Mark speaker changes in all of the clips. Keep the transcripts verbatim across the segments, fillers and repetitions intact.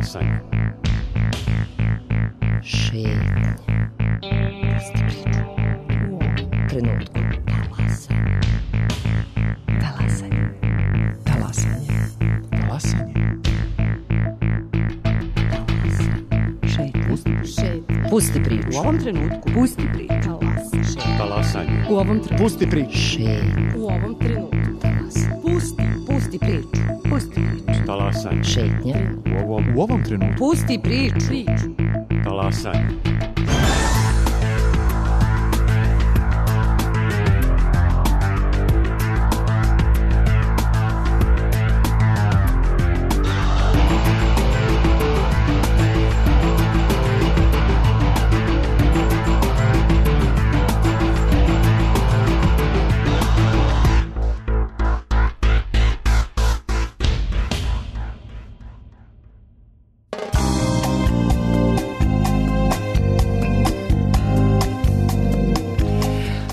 Speaker 1: Talasanje.
Speaker 2: Šetnje. Pusti priču. U ovom trenutku. Talasanje. Talasanje. Talasanje.
Speaker 3: Talasanje.
Speaker 2: Šetnje. Šetnje. Pusti priču.
Speaker 4: U ovom trenutku. Pusti priču.
Speaker 2: Talasanje.
Speaker 1: Talasanje.
Speaker 4: U ovom trenutku.
Speaker 3: Pusti priču.
Speaker 2: Šetnje.
Speaker 4: U ovom trenutku.
Speaker 2: Talasanje.
Speaker 4: Pusti. Pusti priču. Pusti priču.
Speaker 1: Talasanje.
Speaker 2: Šetnje.
Speaker 1: U ovom,
Speaker 3: U ovom trenutku.
Speaker 4: Pusti priču. Priču.
Speaker 1: talasanje.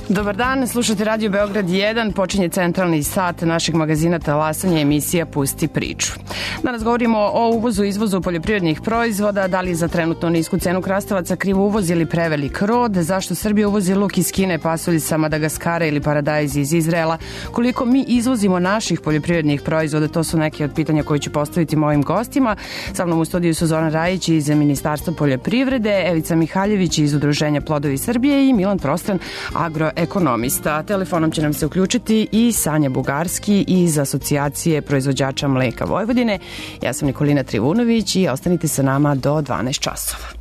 Speaker 5: Dobar dan, slušate Radio Beograd jedan, počinje centralni sat našeg magazina Talasanje, emisija Pusti priču. Danas govorimo o uvozu i izvozu poljoprivrednih proizvoda, da li za trenutno nisku cenu krastavaca kriv uvoz ili prevelik rod, zašto Srbija uvozi luk iz Kine, pasulj sa Madagaskara ili paradajz iz Izraela, koliko mi izvozimo naših poljoprivrednih proizvoda, to su neke od pitanja koje ću postaviti mojim gostima. Sa mnom u studiju su Zoran Rajić iz Ministarstva poljoprivrede, Evica Mihaljević iz Udruženja Plodovi Srbije i Milan Prostran, agroekonomista. Telefonom će nam se uključiti i Sanja Bugarski iz Asocijacije proizvođača mleka Vojvodine. Ja sam Nikolina Trivunović i ostanite sa nama do dvanaest časova.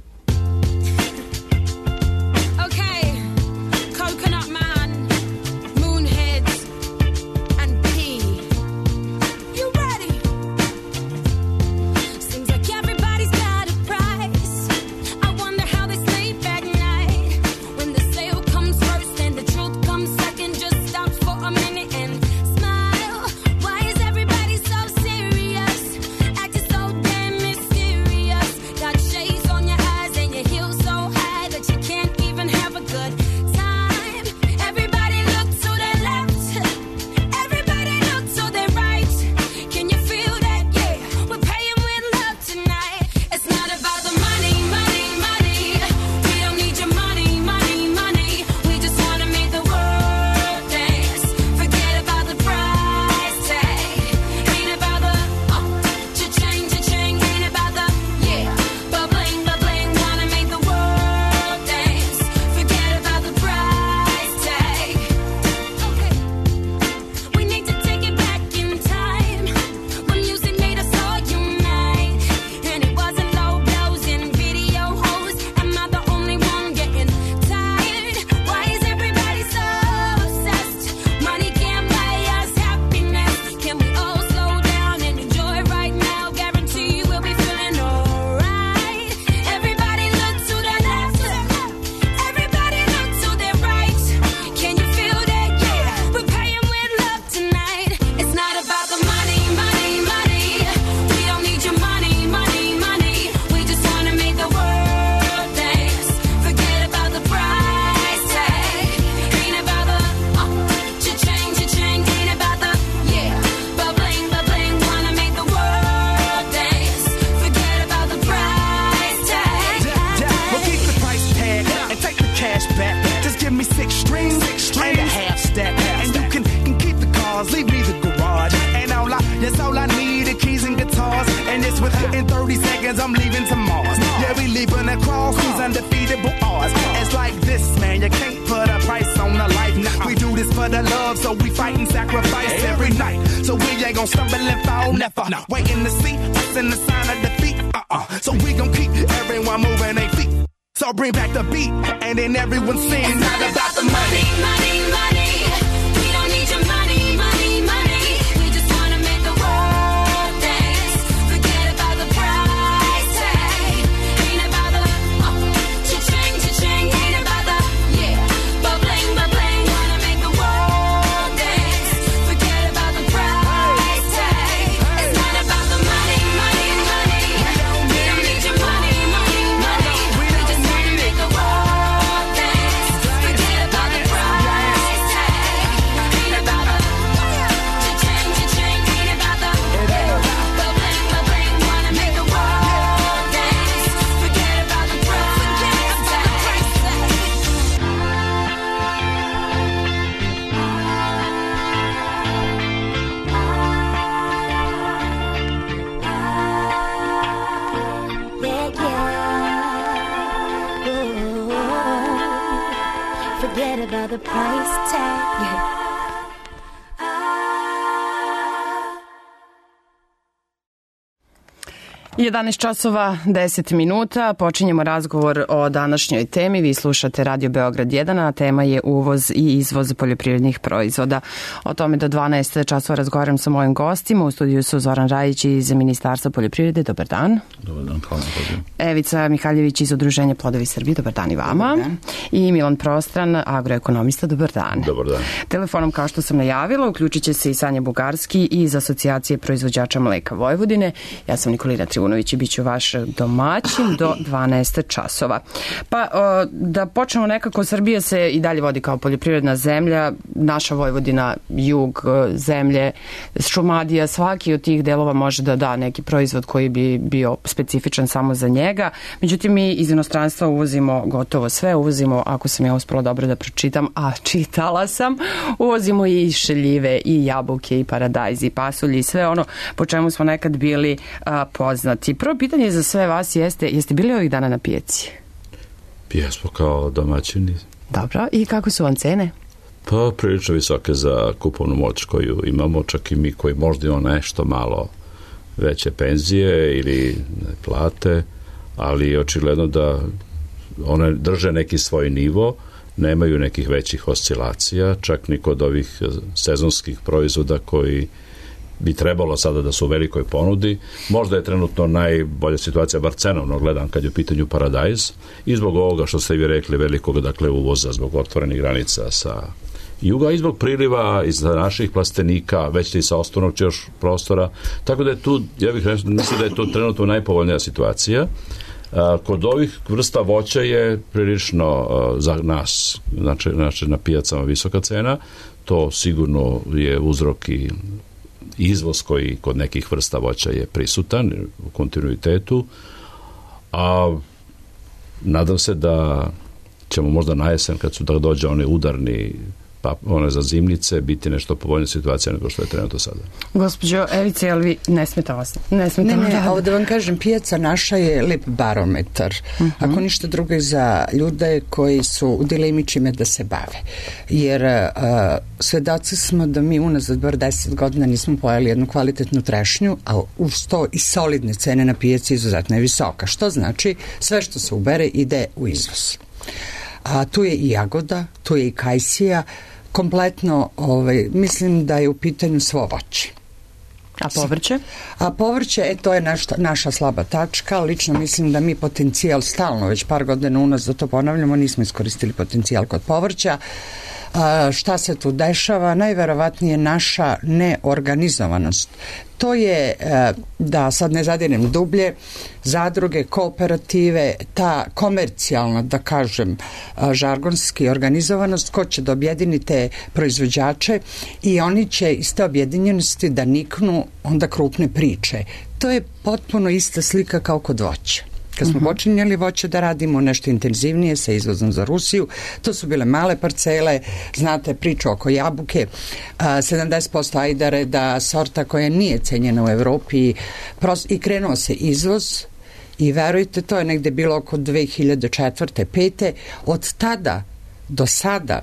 Speaker 1: price tag.
Speaker 5: jedanaest časova deset minuta, počinjemo razgovor o današnjoj temi. Vi slušate Radio Beograd jedan, a tema je uvoz i izvoz poljoprivrednih proizvoda. O tome do dvanaest časova razgovaram sa mojim gostima. U studiju su Zoran Rajić iz Ministarstva poljoprivrede. Dobar dan.
Speaker 3: Dobar dan, hvala na
Speaker 5: Evica Mihaljević iz Udruženja Plodovi Srbije. Dobar dan i vama.
Speaker 4: Dobar dan.
Speaker 5: I Milan Prostran, agroekonomista. Dobar dan.
Speaker 3: Dobar dan.
Speaker 5: Telefonom, kao što sam najavila, uključit će se i Sanja Bugarski iz Asocijacije proizvođača mleka Vojvodine. Ja sam Nikolina Trivunović i bit ću vaš domaćin do dvanaest časova. Pa o, da počnemo nekako, Srbija se i dalje vodi kao poljoprivredna zemlja, naša Vojvodina, jug zemlje, Šumadija, svaki od tih delova može da da neki proizvod koji bi bio specifičan samo za njega. Međutim, mi iz inostranstva uvozimo gotovo sve, uvozimo, ako sam ja uspela dobro da pročitam, a čitala sam, uvozimo i šeljive, i jabuke, i paradajz, i pasulje, i sve ono po čemu smo nekad bili a, poznati. Prvo pitanje za sve vas jeste, jeste bili ovih dana na pijaci?
Speaker 3: Jesmo kao domaćini.
Speaker 5: Dobro, i kako su vam cene?
Speaker 3: Pa prilično visoke za kupovnu moć koju imamo, čak i mi koji možda imamo nešto malo veće penzije ili plate, ali očigledno da one drže neki svoj nivo, nemaju nekih većih oscilacija, čak ni kod ovih sezonskih proizvoda koji bi trebalo sada da su u velikoj ponudi. Možda je trenutno najbolja situacija, bar cenovno gledam, kad je u pitanju paradajz, i zbog ovoga što ste vi rekli velikog, dakle, uvoza, zbog otvorenih granica sa juga, i zbog priliva iz naših plastenika, već i sa osnovnog još prostora, tako da je tu, ja bih mislio da je to trenutno najpovoljnija situacija. Kod ovih vrsta voća je prilično za nas, znači, znači na pijacama visoka cena, to sigurno je uzrok i izvoz koji kod nekih vrsta voća je prisutan u kontinuitetu, a nadam se da ćemo možda na jesen, kad su da dođe one udarni, pa one za zimnice, biti nešto povoljna situacija nego što je trenutno sada.
Speaker 5: Gospođo Evice, jel vi ne smeta vas? Ne, smeta
Speaker 4: ne, ne,
Speaker 5: da...
Speaker 4: ovo da vam kažem, pijaca naša je lep barometar. Uh-huh. Ako ništa drugo je za ljude koji su u dilemi čime da se bave. Jer uh, svedoci smo da mi unazad bar deset godina nismo pojeli jednu kvalitetnu trešnju, a uz to i solidne cene na pijaci izuzetno je visoka. Što znači, sve što se ubere ide u izvoz. A tu je i jagoda, tu je i kajsija, kompletno, ovaj, mislim da je u pitanju svo voće.
Speaker 5: A povrće?
Speaker 4: A povrće, e, to je naš, naša slaba tačka. Lično mislim da mi potencijal stalno, već par godina unazad to ponavljamo, nismo iskoristili potencijal kod povrća. A, šta se tu dešava? Najverovatnije naša neorganizovanost. To je, da sad ne zadirem dublje, zadruge, kooperative, ta komercijalna, da kažem, žargonski organizovanost, ko će da objedini te proizvođače i oni će iz te objedinjenosti da niknu onda krupne priče. To je potpuno ista slika kao kod voća. Kad smo uh-huh. počinjali voće da radimo nešto intenzivnije sa izvozom za Rusiju, to su bile male parcele, znate priču oko jabuke, sedamdeset posto ajdare, da sorta koja nije cenjena u Evropi, i krenuo se izvoz i verujte, to je negde bilo oko dve hiljade četvrte pete. Od tada do sada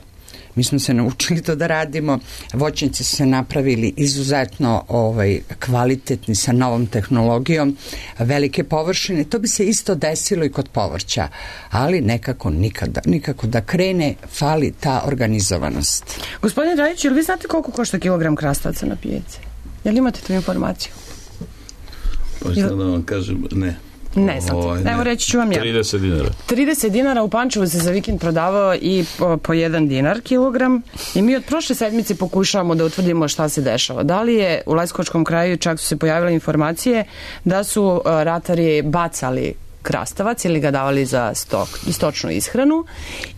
Speaker 4: mi smo se naučili to da radimo, voćnici su se napravili izuzetno ovaj, kvalitetni sa novom tehnologijom, velike površine, to bi se isto desilo i kod povrća, ali nekako nikada, nikako da krene, fali ta organizovanost.
Speaker 5: Gospodine Rajić, jel vi znate koliko košta kilogram krastavaca na pijaci? Jel imate tu informaciju?
Speaker 3: Pa šta da vam kažem, ne.
Speaker 5: Ne znate. Ovaj, ne. Evo reći ću vam ja.
Speaker 3: trideset dinara.
Speaker 5: trideset dinara, u Pančevu se za vikend prodavao i po, po jedan dinar kilogram i mi od prošle sedmice pokušavamo da utvrdimo šta se dešava. Da li je u Leskovačkom kraju, čak su se pojavile informacije da su ratari bacali krastavac ili ga davali za stok, stočnu ishranu,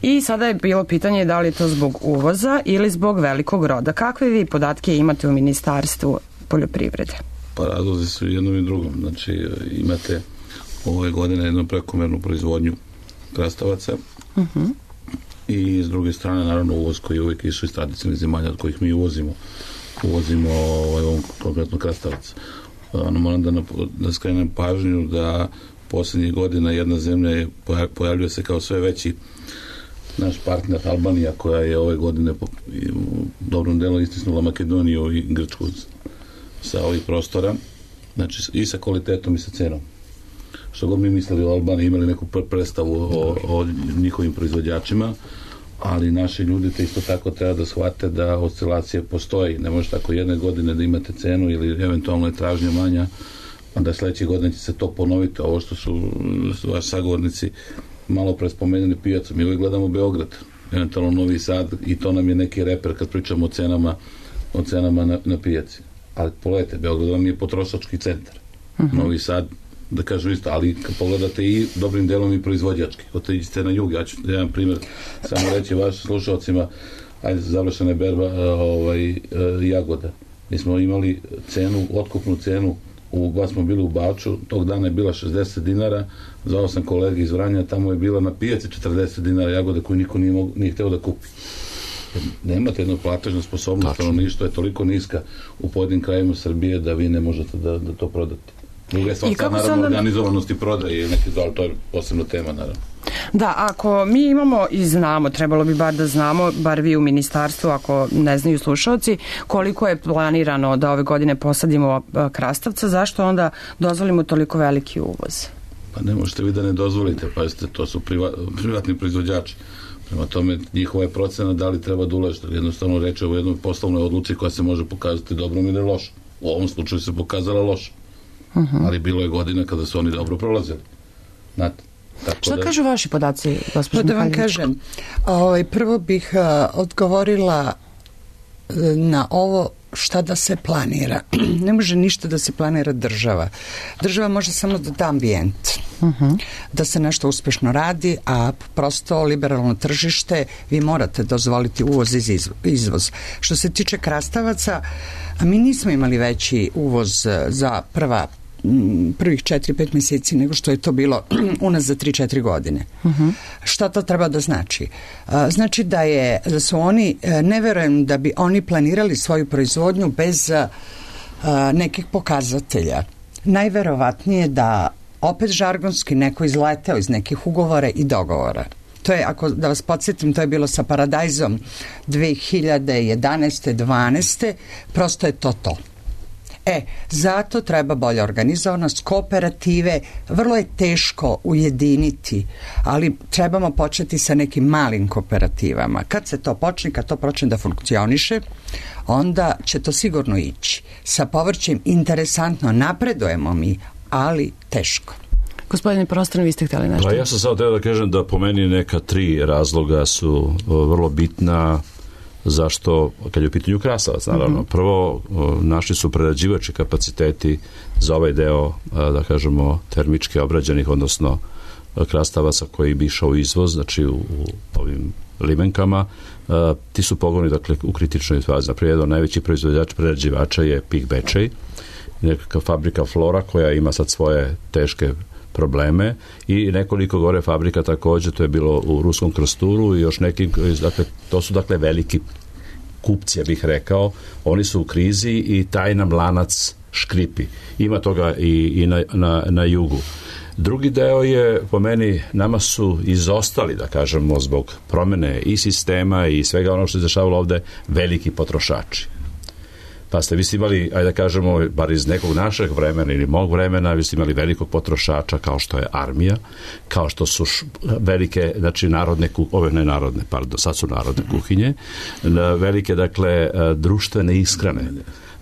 Speaker 5: i sada je bilo pitanje da li je to zbog uvoza ili zbog velikog roda. Kakve vi podatke imate u Ministarstvu poljoprivrede?
Speaker 6: Pa razlozi su jednom i drugom. Znači imate ove godine jednu prekomernu proizvodnju krastavaca uh-huh. i s druge strane naravno uvoz koji uvijek isu iz tradicionalnih zemalja od kojih mi uvozimo uvozimo ovaj, ovom konkretno krastavac. Ano, moram da, da skrenem pažnju da posljednjih godina jedna zemlja je, pojavljuje se kao sve veći naš partner Albanija, koja je ove godine po, u dobrom delu istisnula Makedoniju i Grčku sa ovih prostora, znači i sa kvalitetom i sa cenom. Što god mi mislili o Albaniji, imali neku predstavu o, o njihovim proizvođačima, ali naši ljudi te isto tako treba da shvate da oscilacije postoji. Ne može tako jedne godine da imate cenu ili eventualno je tražnja manja, a da sledeće godine će se to ponoviti. Ovo što su, su vaši sagovornici malo pre spomenuli pijacu. Mi uvijek gledamo Beograd, eventualno Novi Sad, i to nam je neki reper kad pričamo o cenama, o cenama na, na pijaci. Ali pogledajte, Beograd vam je potrošački centar. Uh-huh. Novi Sad, da kažu isto, ali kad pogledate i dobrim delom i proizvođački. Otiđite na jug, ja ću jedan primjer samo reći vašim slušalcima, ajde, završena je berba ovaj, jagoda. Mi smo imali cenu, otkupnu cenu, u, ba smo bili u Baču, tog dana je bila šezdeset dinara, zvao sam kolege iz Vranja, tamo je bila na pijaci četrdeset dinara jagode koju niko nije, mogu, nije hteo da kupi. Nemate jednu platežnu sposobnost, stanovništvo je toliko niska u pojedinim krajima Srbije da vi ne možete da, da to prodate. Druga je stvar, sad naravno onda... organizovanosti prodaje i neki zval, to je posebna tema naravno.
Speaker 5: Da, ako mi imamo i znamo, trebalo bi bar da znamo, bar vi u ministarstvu, ako ne znaju slušalci, koliko je planirano da ove godine posadimo krastavca, zašto onda dozvolimo toliko veliki uvoz?
Speaker 6: Pa ne možete vi da ne dozvolite, pazite, to su priva, privatni proizvođači. Prema tome, njihova je procena da li treba da ulažete. Jednostavno reče o jednoj poslovnoj odluci koja se može pokazati dobrom ili lošom. U ovom slučaju se pokazala lošom. Uh-huh. Ali bilo je godina kada su oni dobro prolazili. Znate? Tako
Speaker 5: Šta
Speaker 6: da...
Speaker 5: kažu vaši podaci, gospođo
Speaker 4: Da vam kažem, ovaj, prvo bih uh, odgovorila uh, na ovo šta da se planira. Ne može ništa da se planira država. Država može samo da da ambijent. Uh-huh. Da se nešto uspešno radi, a prosto liberalno tržište, vi morate dozvoliti uvoz i izvoz. Što se tiče krastavaca, a mi nismo imali veći uvoz za prva prvih četiri pet mjeseci nego što je to bilo u nas za tri četiri godine. Uh-huh. Šta to treba da znači? Znači da je da su oni, ne verujem da bi oni planirali svoju proizvodnju bez nekih pokazatelja. Najverovatnije da opet žargonski neko izleteo iz nekih ugovora i dogovora. To je, ako da vas podsjetim, to je bilo sa Paradajzom dve hiljade jedanaeste dvanaeste prosto je to to. E, zato treba bolja organizovanost, kooperative, vrlo je teško ujediniti, ali trebamo početi sa nekim malim kooperativama. Kad se to počne, kad to počne da funkcioniše, onda će to sigurno ići. Sa povrćem interesantno napredujemo mi, ali teško.
Speaker 5: Gospodine Prostor, vi ste htjeli nešto?
Speaker 3: Pa ja sam samo teo da kažem da po meni neka tri razloga su vrlo bitna zašto, kad je u pitanju krastavac, naravno. Mm-hmm. Prvo, naši su prerađivački kapaciteti za ovaj deo, da kažemo, termički obrađenih, odnosno krastavaca koji bi išao u izvoz, znači u, u ovim limenkama, ti su pogoni, dakle, u kritičnoj fazi. Naprijed, jedan najveći proizvođač prerađivača je Pik Bečej, nekakva fabrika Flora koja ima sad svoje teške probleme i nekoliko gore fabrika također, to je bilo u Ruskom Krsturu i još neki, dakle, to su dakle veliki kupci, ja bih rekao, oni su u krizi i taj nam lanac škripi. Ima toga i, i na, na, na jugu. Drugi deo je, po meni, nama su izostali, da kažemo, zbog promjene i sistema i svega ono što je dešavalo ovde, veliki potrošači. Pa ste vi ste imali, ajde da kažemo, bar iz nekog našeg vremena ili mog vremena, vi ste imali velikog potrošača kao što je armija, kao što su š, velike, znači narodne, ove ne narodne, pardon, sad su narodne kuhinje, velike, dakle, društvene ishrane.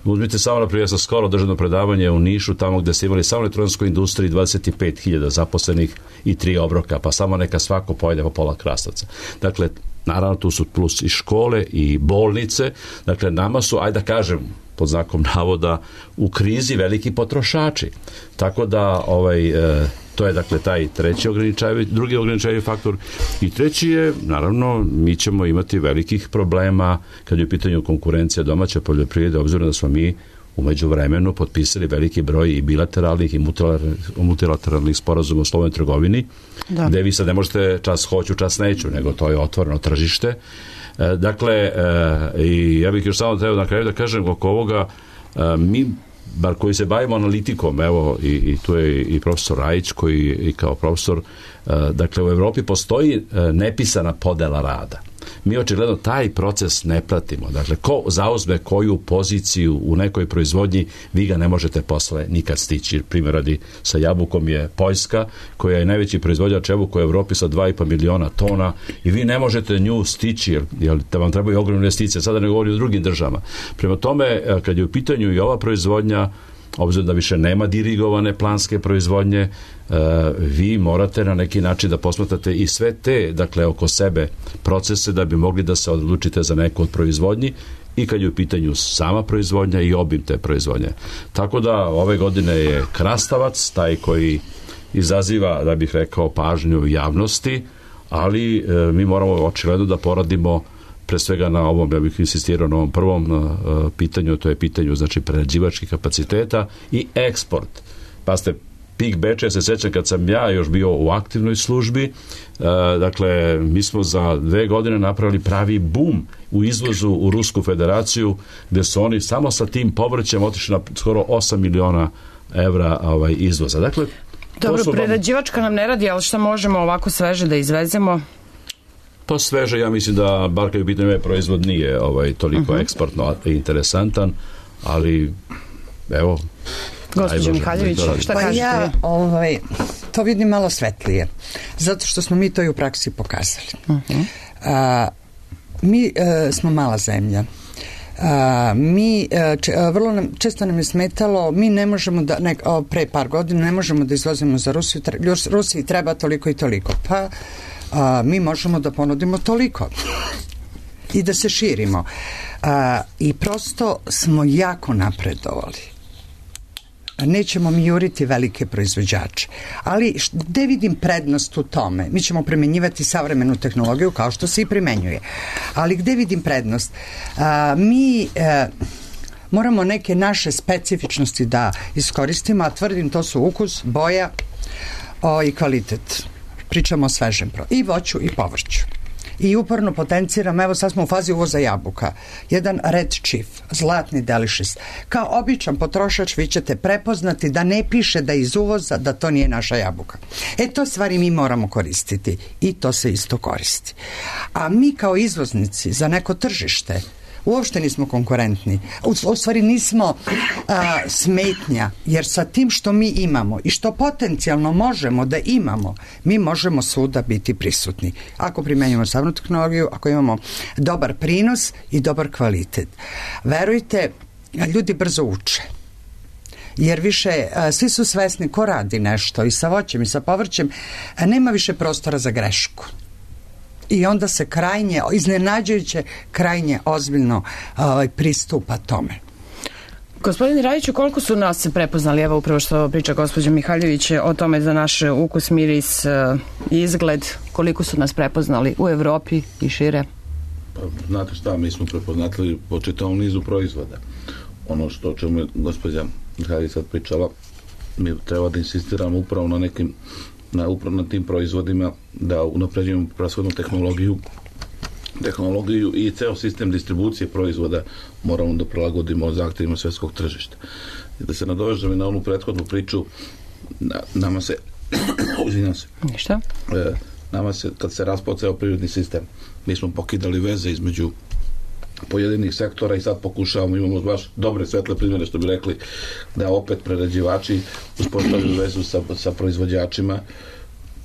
Speaker 3: Uzmite samo, naprijed, ja sam skoro državno predavanje u Nišu, tamo gde ste imali samo u elektronskoj industriji dvadeset pet hiljada zaposlenih i tri obroka, pa samo neka svako pojede po pola krastavca. Dakle, naravno, tu su plus i škole i bolnice, dakle, nama su, ajde da kažem, pod znakom navoda, u krizi veliki potrošači. Tako da, ovaj, e, to je, dakle, taj treći ograničavajući, drugi ograničavajući faktor. I treći je, naravno, mi ćemo imati velikih problema kad je u pitanju konkurencija domaće poljoprivrede, obzirom da smo mi u međuvremenu potpisali veliki broj i bilateralnih i multilateralnih sporazuma o slobodnoj trgovini, da. Gde vi sad ne možete čas hoću, čas neću, nego to je otvoreno tržište. E, dakle, e, i ja bih još samo trebao na kraju da kažem oko ovoga, e, mi bar koji se bavimo analitikom, evo i, i tu je i profesor Rajić koji i kao profesor, dakle u Evropi postoji nepisana podela rada. Mi očigledno taj proces ne pratimo. Dakle, ko zauzme koju poziciju u nekoj proizvodnji, vi ga ne možete posle nikad stići. Primjer radi sa jabukom je Poljska, koja je najveći proizvođač jabuka u Evropi sa dva i po miliona tona i vi ne možete nju stići, jer, jer da vam trebaju ogromne investicije. Sada ne govori o drugim državama. Prema tome, kad je u pitanju i ova proizvodnja, obzirom da više nema dirigovane planske proizvodnje, vi morate na neki način da posmatrate i sve te, dakle, oko sebe procese da bi mogli da se odlučite za neku od proizvodnji i kad je u pitanju sama proizvodnja i obim te proizvodnje. Tako da ove godine je krastavac taj koji izaziva, da bih rekao, pažnju javnosti, ali e, mi moramo očigledno da poradimo pre svega na ovom, ja bih insistirao na ovom prvom uh, pitanju, to je pitanju znači prerađivačkih kapaciteta i eksport. Pa ste Pik Beča, ja se sećam kad sam ja još bio u aktivnoj službi, uh, dakle mi smo za dve godine napravili pravi bum u izvozu u Rusku federaciju, gde su oni samo sa tim povrćem otišli na skoro osam miliona evra ovaj, izvoza. Dakle,
Speaker 5: dobro, prerađivačka nam ne radi, ali šta možemo ovako sveže da izvezemo?
Speaker 3: Pa sveže, ja mislim da bar kad je pitanje ovaj proizvod nije ovaj, toliko uh-huh. eksportno interesantan, ali evo...
Speaker 5: Gospođo Mihaljević, šta
Speaker 4: pa
Speaker 5: kažete?
Speaker 4: Ja ovaj, to vidim malo svetlije, zato što smo mi to i u praksi pokazali. Uh-huh. A, mi a, smo mala zemlja. A, mi če, a, vrlo nam, često nam je smetalo, mi ne možemo da, ne, a, pre par godina ne možemo da izvozimo za Rusiju, tre, Rusiji treba toliko i toliko. Pa a, mi možemo da ponudimo toliko i da se širimo. A, I prosto smo jako napredovali. Nećemo mi juriti velike proizvođače. Ali gde vidim prednost u tome? Mi ćemo primenjivati savremenu tehnologiju kao što se i primenjuje. Ali gde vidim prednost? A, mi a, moramo neke naše specifičnosti da iskoristimo, a tvrdim to su ukus, boja o, i kvalitet. Pričamo o svežem pro. I voću i povrću. I uporno potenciram, evo sad smo u fazi uvoza jabuka, jedan Red Chief, zlatni delicious. Kao običan potrošač vi ćete prepoznati da ne piše da iz uvoza, da to nije naša jabuka. E to stvari mi moramo koristiti i to se isto koristi. A mi kao izvoznici za neko tržište uopšte nismo konkurentni. U, u stvari nismo a, smetnja, jer sa tim što mi imamo i što potencijalno možemo da imamo, mi možemo svuda biti prisutni. Ako primenjujemo savremenu tehnologiju, ako imamo dobar prinos i dobar kvalitet. Verujte, ljudi brzo uče. Jer više, a, svi su svesni ko radi nešto i sa voćem i sa povrćem, a nema više prostora za grešku. I onda se krajnje, iznenađujuće, krajnje ozbiljno ovaj, pristupa tome.
Speaker 5: Gospodine Rajiću, koliko su nas prepoznali, evo upravo što priča gospođa Mihaljević o tome za naš ukus, miris i izgled, koliko su nas prepoznali u Evropi i šire?
Speaker 6: Pa, znate šta, mi smo prepoznatili po čitavom nizu proizvoda. Ono što o čemu je gospođa Mihaljević sad pričala, mi treba da insistiramo upravo na nekim na upravo na tim proizvodima, da unapređujemo proizvodnu tehnologiju tehnologiju i ceo sistem distribucije proizvoda moramo da prilagodimo zahtevima svetskog tržišta. I da se nadovežem i na onu prethodnu priču, na, nama se uzimam se
Speaker 5: ništa
Speaker 6: e, nama se, kad se raspao ceo privredni sistem, mi smo pokidali veze između pojedinih sektora i sad pokušavamo, imamo baš dobre svetle primjere, što bi rekli, da opet prerađivači uspostavljaju vezu sa, sa proizvođačima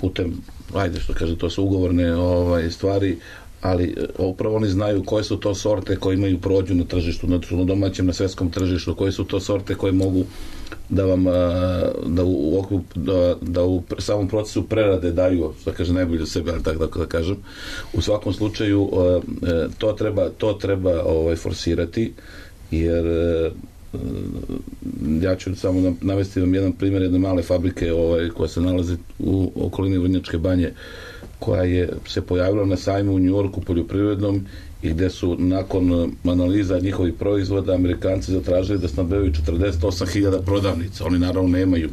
Speaker 6: putem, ajde što kaže, to su ugovorne ovaj, stvari, ali upravo oni znaju koje su to sorte koje imaju prođu na tržištu, na domaćem, na svetskom tržištu, koje su to sorte koje mogu da vam da u, da, da u samom procesu prerade daju, što kaže, najbolje sebe, ali tako da kažem. U svakom slučaju to treba, to treba ovaj, forsirati, jer ja ću samo navesti vam jedan primjer jedne male fabrike ovaj, koja se nalazi u okolini Vrnjačke Banje, koja je se pojavila na sajmu u Njujorku poljoprivrednom i gde su nakon analiza njihovih proizvoda Amerikanci zatražili da snabdevaju četrdeset osam hiljada prodavnica. Oni naravno nemaju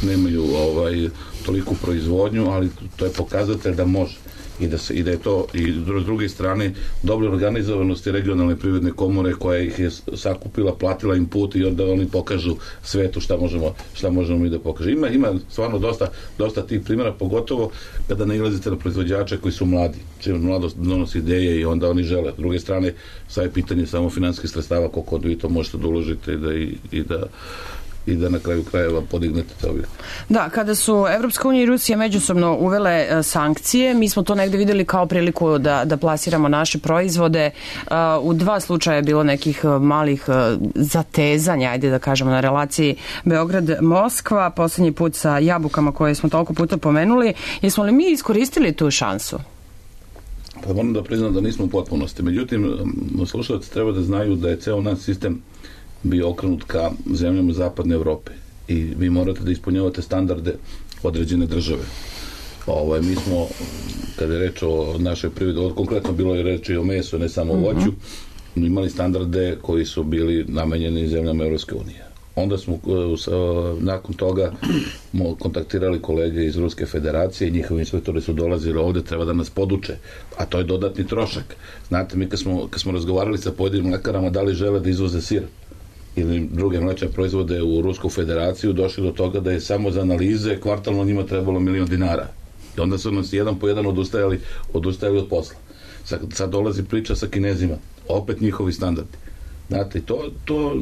Speaker 6: nemaju ovaj, toliku proizvodnju, ali to je pokazatelj da može. i da, se, i da je to i s druge strane dobre organizovanosti regionalne privredne komore koja ih je sakupila, platila im put i onda oni pokažu svetu šta možemo, šta možemo mi da pokažemo. Ima, ima stvarno dosta, dosta tih primjera, pogotovo kada nailazite na proizvođače koji su mladi, čim mladost donosi ideje i onda oni žele. S druge strane, sad je pitanje samo finansijskih sredstava, koliko vi to možete da uložite i da, i, i da i da na kraju krajeva podignete te objekte.
Speaker 5: Da, kada su Evropska unija i Rusija međusobno uvele e, sankcije, mi smo to negde videli kao priliku da, da plasiramo naše proizvode. E, u dva slučaja je bilo nekih malih e, zatezanja, ajde da kažemo, na relaciji Beograd-Moskva, poslednji put sa jabukama koje smo toliko puta pomenuli. Jesmo li mi iskoristili tu šansu?
Speaker 6: Pa moram da priznam da nismo u potpunosti. Međutim, slušalci treba da znaju da je ceo naš sistem bio okrenut ka zemljama zapadne Evrope i vi morate da ispunjavate standarde određene države. Ovaj, mi smo, kada je reč o našoj privredi, konkretno bilo je reč i o mesu, ne samo o voću, imali standarde koji su bili namenjeni zemljama Evropske unije. Onda smo nakon toga kontaktirali kolege iz Ruske federacije i njihovi inspektori su dolazili ovde, treba da nas poduče, a to je dodatni trošak. Znate, mi kad smo, kad smo razgovarali sa pojedinim mlekarama da li žele da izvoze sir ili druge mlečne proizvode u Rusku federaciju, došli do toga da je samo za analize kvartalno njima trebalo milion dinara. I onda su nas jedan po jedan odustajali, odustajali od posla. Sad, sad dolazi priča sa Kinezima, opet njihovi standardi. Znate, to, to,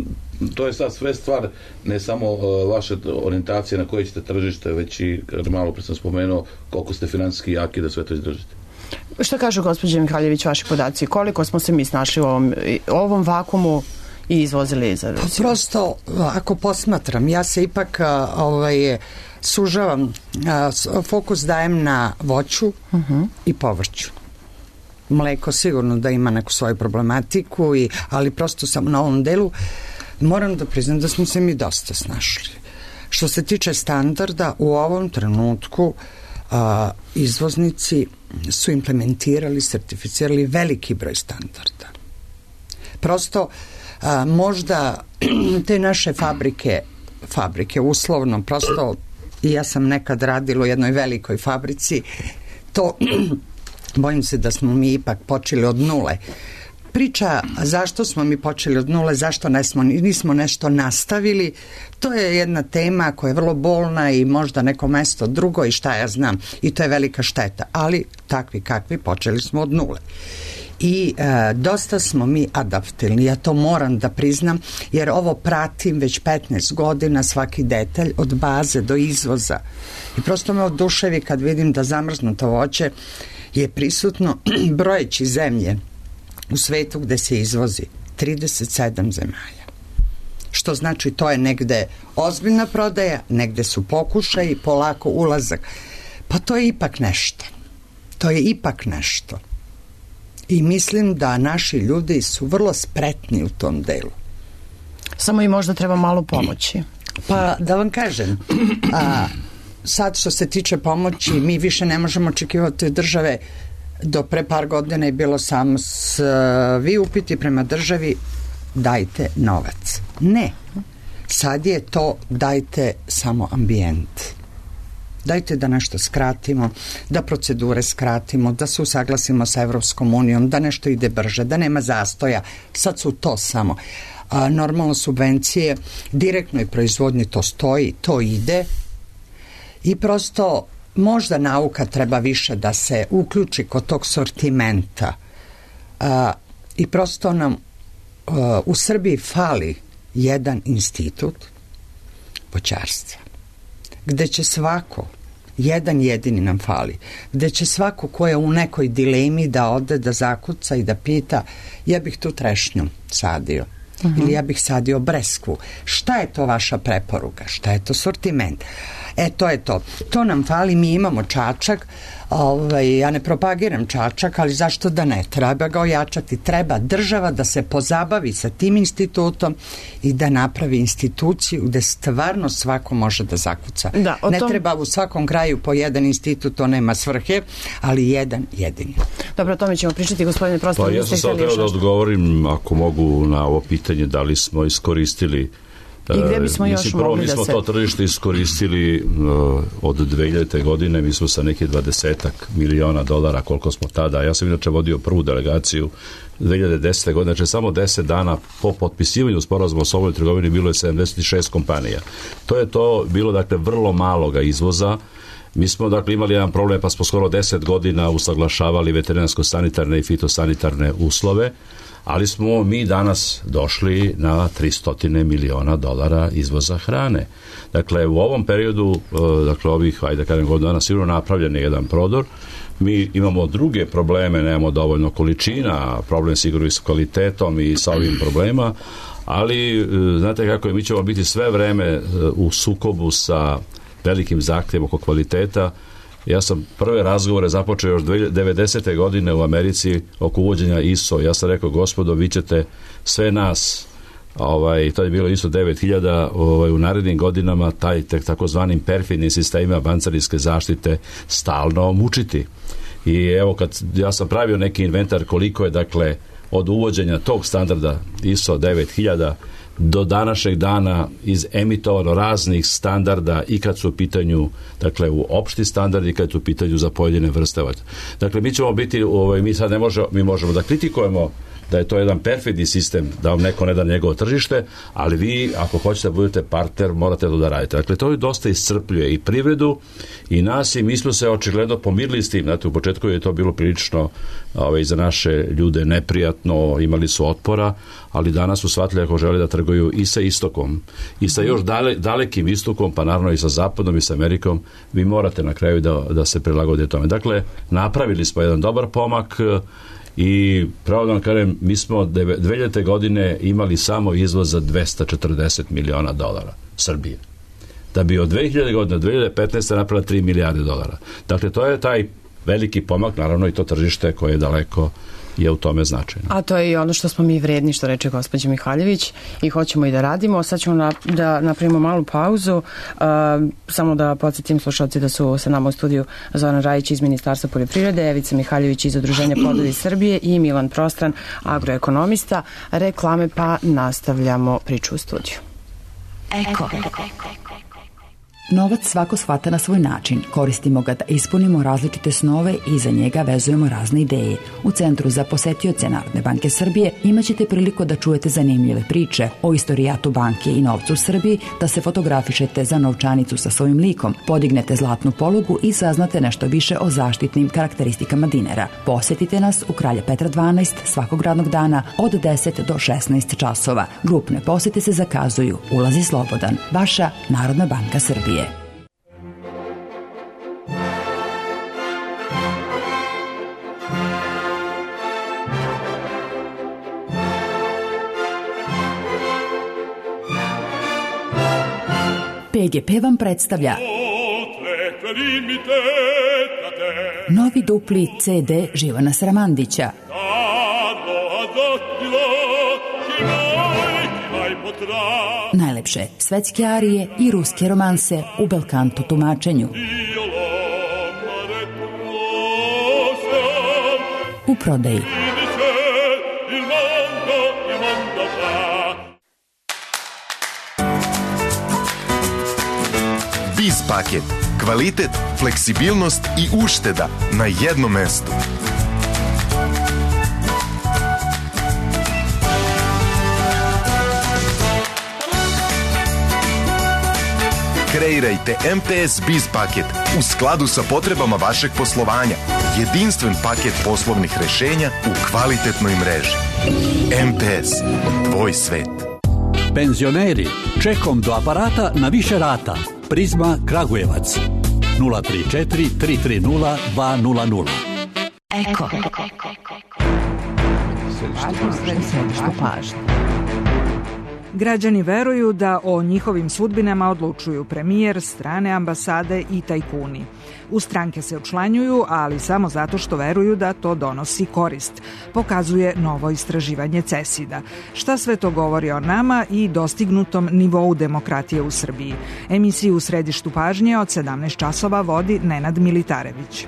Speaker 6: to je sad sve stvar ne samo uh, vaše orijentacije na koje ćete tržište, već i, malo pre sam spomenuo, koliko ste finansijski jaki da sve to izdržite.
Speaker 5: Šta kažu, gospođe Mihaljević, vaši podaci? Koliko smo se mi snašli u ovom, ovom vakumu i izvozili za Rusiju?
Speaker 4: Prosto, ako posmatram, ja se ipak ovaj, sužavam, fokus dajem na voću uh-huh. i povrću. Mleko sigurno da ima neku svoju problematiku, i, ali prosto sam na ovom delu moram da priznam da smo se mi dosta snašli. Što se tiče standarda, u ovom trenutku a, izvoznici su implementirali, sertificirali veliki broj standarda. Prosto a, možda te naše fabrike, fabrike uslovno, prosto i ja sam nekad radila u jednoj velikoj fabrici, to bojim se da smo mi ipak počeli od nule. Priča zašto smo mi počeli od nule, zašto nismo, nismo nešto nastavili, to je jedna tema koja je vrlo bolna i možda neko mesto drugo i šta ja znam, i to je velika šteta, ali takvi kakvi počeli smo od nule. I e, dosta smo mi adaptilni, ja to moram da priznam, jer ovo pratim već petnaest godina, svaki detalj od baze do izvoza. I prosto me oduševi kad vidim da zamrznuto voće je prisutno brojeći zemlje u svetu gde se izvozi trideset sedam zemalja. Što znači to je negde ozbiljna prodaja, negde su pokušaji, polako ulazak. Pa to je ipak nešto. To je ipak nešto. I mislim da naši ljudi su vrlo spretni u tom delu.
Speaker 5: Samo i možda treba malo pomoći.
Speaker 4: Pa da vam kažem, a, sad što se tiče pomoći, mi više ne možemo očekivati države. Do pre par godina je bilo samo s, vi upiti prema državi dajte novac. Ne. Sad je to dajte samo ambijent. Dajte da nešto skratimo, da procedure skratimo, da se usaglasimo sa Evropskom unijom, da nešto ide brže, da nema zastoja. Sad su to samo. A, normalno subvencije, direktnoj proizvodnji to stoji, to ide i prosto možda nauka treba više da se uključi kod tog sortimenta. A, i prosto nam a, u Srbiji fali jedan institut voćarstva, gde će svako, jedan jedini nam fali, gde će svako ko je u nekoj dilemi da ode, da zakuca i da pita, ja bih tu trešnju sadio, uh-huh. ili ja bih sadio breskvu. Šta je to vaša preporuka? Šta je to sortiment? E, to je to. To nam fali, mi imamo Čačak, ovaj, ja ne propagiram Čačak, ali zašto da ne? Treba ga ojačati, treba država da se pozabavi sa tim institutom i da napravi instituciju gde stvarno svako može da zakuca. Da, ne tom... treba u svakom kraju po jedan institut, to nema svrhe, ali jedan jedini.
Speaker 5: Dobro, o tome ćemo pričati, gospodine Prostor.
Speaker 3: Pa ja sam sad treba da odgovorim, ako mogu, na ovo pitanje da li smo iskoristili
Speaker 5: I gde bismo još
Speaker 3: Mislim, prvo,
Speaker 5: mogli da se...
Speaker 3: Mi smo to tržište iskoristili uh, od dve hiljadite. godine, mi smo sa nekih dvadesetak miliona dolara, koliko smo tada, ja sam inače vodio prvu delegaciju dve hiljade desete. godine, znači samo deset dana po potpisivanju sporazuma o slobodnoj trgovini bilo je sedamdeset šest kompanija. To je to bilo, dakle, vrlo maloga izvoza. Mi smo, dakle, imali jedan problem, pa smo skoro deset godina usaglašavali veterinarsko-sanitarne i fitosanitarne uslove, ali smo mi danas došli na tristo miliona dolara izvoza hrane. Dakle, u ovom periodu, dakle, ovih, ajde kažem, godina dana, sigurno napravljen je jedan prodor. Mi imamo druge probleme, nemamo dovoljno količina, problem sigurno i s kvalitetom i sa ovim problema, ali znate kako je, mi ćemo biti sve vreme u sukobu sa velikim zahtjevom oko kvaliteta. Ja sam prve razgovore započeo još devedesete. godine u Americi oko uvođenja I S O. Ja sam rekao, gospodo, vi ćete sve nas, ovaj, to je bilo I S O devet hiljada, ovaj, u narednim godinama taj takozvanim perfidnim sistemima bancarijske zaštite stalno mučiti. I evo, kad ja sam pravio neki inventar koliko je, dakle, od uvođenja tog standarda I S O devet hiljada do današnjeg dana izemitovano raznih standarda i kad su u pitanju, dakle, u opšti standardi i kad su u pitanju za pojedine vrste. Dakle, mi ćemo biti, ovaj, mi sad ne možemo, mi možemo da kritikujemo da je to jedan perfidni sistem, da vam neko ne da njegovo tržište, ali vi, ako hoćete da budete partner, morate to da radite. Dakle, to je dosta iscrpljuje i privredu i nas, i mi smo se očigledno pomirili s tim. Znate, u početku je to bilo prilično ovaj, za naše ljude neprijatno, imali su otpora, ali danas su shvatili ako žele da trguju i sa istokom, i sa još dale, dalekim istokom, pa naravno i sa zapadom i sa Amerikom, vi morate na kraju da, da se prilagodite tome. Dakle, napravili smo jedan dobar pomak i pravo da vam kažem, mi smo dve hiljadite. godine imali samo izvoz za dvesta četrdeset miliona dolara Srbije. Da bi od dve hiljade. godine do dve hiljade petnaeste. napravila tri milijarde dolara. Dakle, to je taj veliki pomak, naravno i to tržište koje je daleko je u tome značajno.
Speaker 5: A to je i ono što smo mi vredni, što reče gospođa Mihaljević, i hoćemo i da radimo. Sad ćemo na, da napravimo malu pauzu. Uh, samo da podsjetim slušalci da su sa nama u studiju Zoran Rajić iz Ministarstva poljoprivrede, Evica Mihaljević iz Udruženja Plodovi Srbije i Milan Prostran, agroekonomista. Reklame, pa nastavljamo priču u studiju.
Speaker 1: Eko.
Speaker 7: Novac svako shvata na svoj način. Koristimo ga da ispunimo različite snove i za njega vezujemo razne ideje. U Centru za posetioce Narodne banke Srbije imaćete priliku da čujete zanimljive priče o istorijatu banke i novcu u Srbiji, da se fotografišete za novčanicu sa svojim likom, podignete zlatnu polugu i saznate nešto više o zaštitnim karakteristikama dinara. Posetite nas u Kralja Petra dvanaest svakog radnog dana od deset do šesnaest časova. Grupne posete se zakazuju. Ulaz je slobodan. Vaša Narodna banka Srbije. P G P vam predstavlja novi dupli C D Živana Sramandića. Najlepše svetske arije i ruske romanse u belkanto tumačenju. U prodaji.
Speaker 8: Biz paket. Kvalitet, fleksibilnost i ušteda na jednom mestu. Kreirajte M T S Biz paket u skladu sa potrebama vašeg poslovanja. Jedinstven paket poslovnih rešenja u kvalitetnoj mreži. M T S. Tvoj svet.
Speaker 9: Penzioneri, čekom do aparata na više rata. Prizma Kragujevac. nula tri četiri tri tri nula dva nula nula.
Speaker 1: Eko.
Speaker 5: Središte pažnje.
Speaker 10: Građani veruju da o njihovim sudbinama odlučuju premijer, strane ambasade i tajkuni. U stranke se učlanjuju, ali samo zato što veruju da to donosi korist, pokazuje novo istraživanje CESID-a. Šta sve to govori o nama i dostignutom nivou demokratije u Srbiji? Emisiju u središtu pažnje od sedamnaest časova vodi Nenad Militarević.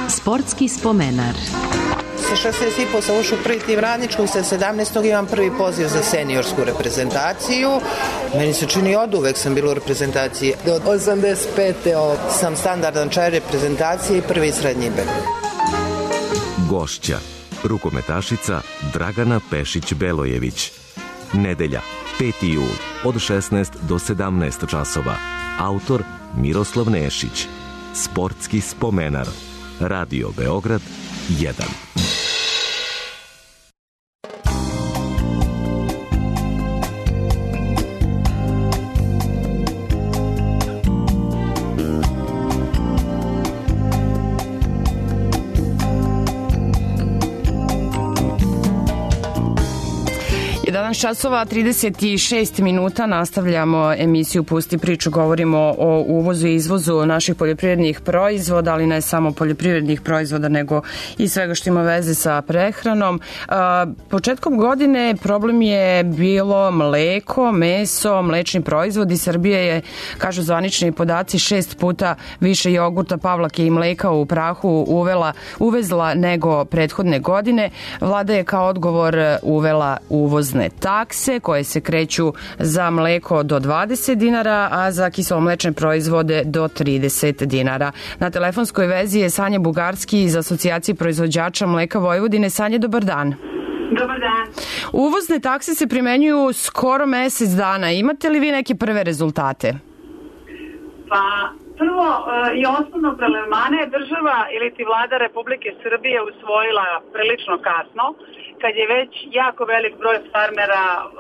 Speaker 2: Sportski spomenar.
Speaker 5: Sa
Speaker 11: šesnaest i po sam ušao u prvi tim radničkog, sa sedamnaestog imam prvi poziv za seniorsku reprezentaciju. Meni se čini od uvek sam bila u reprezentaciji. Od osamdeset pete sam standardan čaj reprezentacije i prvi srednji B.
Speaker 12: Gošća, rukometašica Dragana Pešić-Belojević. Nedelja, peti jul, od šesnaest do sedamnaest časova. Autor Miroslav Nešić. Sportski spomenar. Radio Beograd jedan.
Speaker 5: jedanaest časova trideset šest minuta, nastavljamo emisiju Pusti priču, govorimo o uvozu i izvozu naših poljoprivrednih proizvoda, ali ne samo poljoprivrednih proizvoda, nego i svega što ima veze sa prehranom. Početkom godine problem je bilo mleko, meso, mlečni proizvodi. Srbija je, kažu zvanični podaci, šest puta više jogurta, pavlake i mleka u prahu uvela, uvezla nego prethodne godine. Vlada je kao odgovor uvela uvozne takse koje se kreću za mleko do dvadeset dinara, a za kiselomlečne proizvode do trideset dinara. Na telefonskoj vezi je Sanja Bugarski iz Asocijacije proizvođača mleka Vojvodine. Sanja, dobar dan.
Speaker 13: Dobar dan.
Speaker 5: Uvozne takse se primenjuju skoro mesec dana. Imate li vi neke prve rezultate?
Speaker 13: Pa, prvo i osnovno prelevmane država ili ti vlada Republike Srbije usvojila prilično kasno, kad je već jako velik broj farmera uh,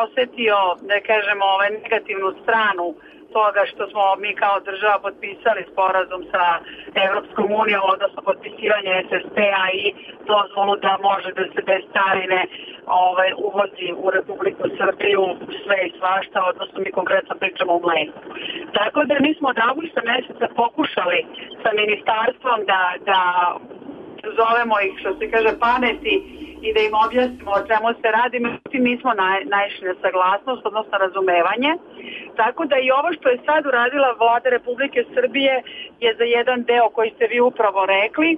Speaker 13: osetio, da kažemo, ovaj, negativnu stranu toga što smo mi kao država potpisali sporazum sa Evropskom unijom, odnosno potpisivanje es es pe-a i dozvolu da može da se bez carine ovaj, uvozi u Republiku Srbiju sve i svašta, odnosno mi konkretno pričamo o mleku. Tako da mi smo od avgusta meseca pokušali sa ministarstvom da, da zovemo ih, što se kaže, pameti i da im objasnimo o čemu se radi. Međutim, mi smo naj, naišli na saglasnost, odnosno razumevanje. Tako da i ovo što je sad uradila vlada Republike Srbije je za jedan deo koji ste vi upravo rekli,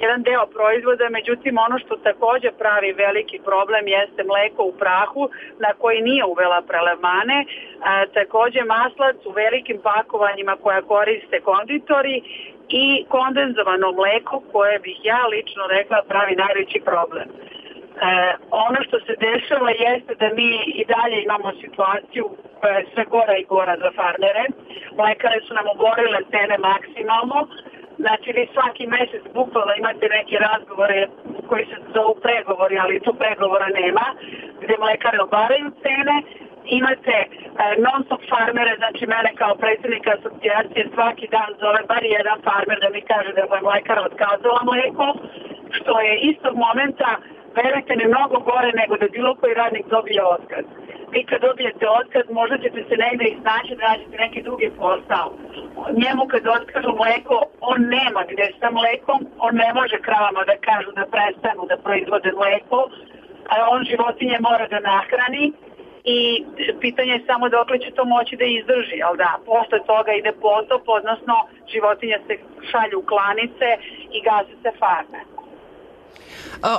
Speaker 13: jedan deo proizvoda. Međutim, ono što takođe pravi veliki problem jeste mleko u prahu na koji nije uvela prelevmane, a, takođe maslac u velikim pakovanjima koja koriste konditori i kondenzovano mleko koje bih ja lično rekla pravi najveći problem. E, ono što se dešava jeste da mi i dalje imamo situaciju koja je sve gora i gora za farmere. Mlekare su nam oborile cene maksimalno. Znači vi svaki mesec bukvalno imate neke razgovore koji se zovu pregovori, ali tu pregovora nema, gde mlekare obaraju cene. Imate e, non-stop farmere, znači mene kao predsjednika asocijacije svaki dan zove bar jedan farmer da mi kaže da je mlekara otkazala mleko, što je istog momenta, verujte mi, mnogo gore nego da bilo koji radnik dobije otkaz. Vi kad dobijete otkaz, možda ćete se negde iznaći da nađete neki drugi posao. Njemu kad otkažu mleko, on nema gde sa mlekom, on ne može kravama da kažu da prestanu da proizvode mleko, a on životinje mora da nahrani i pitanje je samo dokle će to moći da izdrži, ali da, posle toga ide potop, odnosno životinje se šalju u klanice i gase se farme.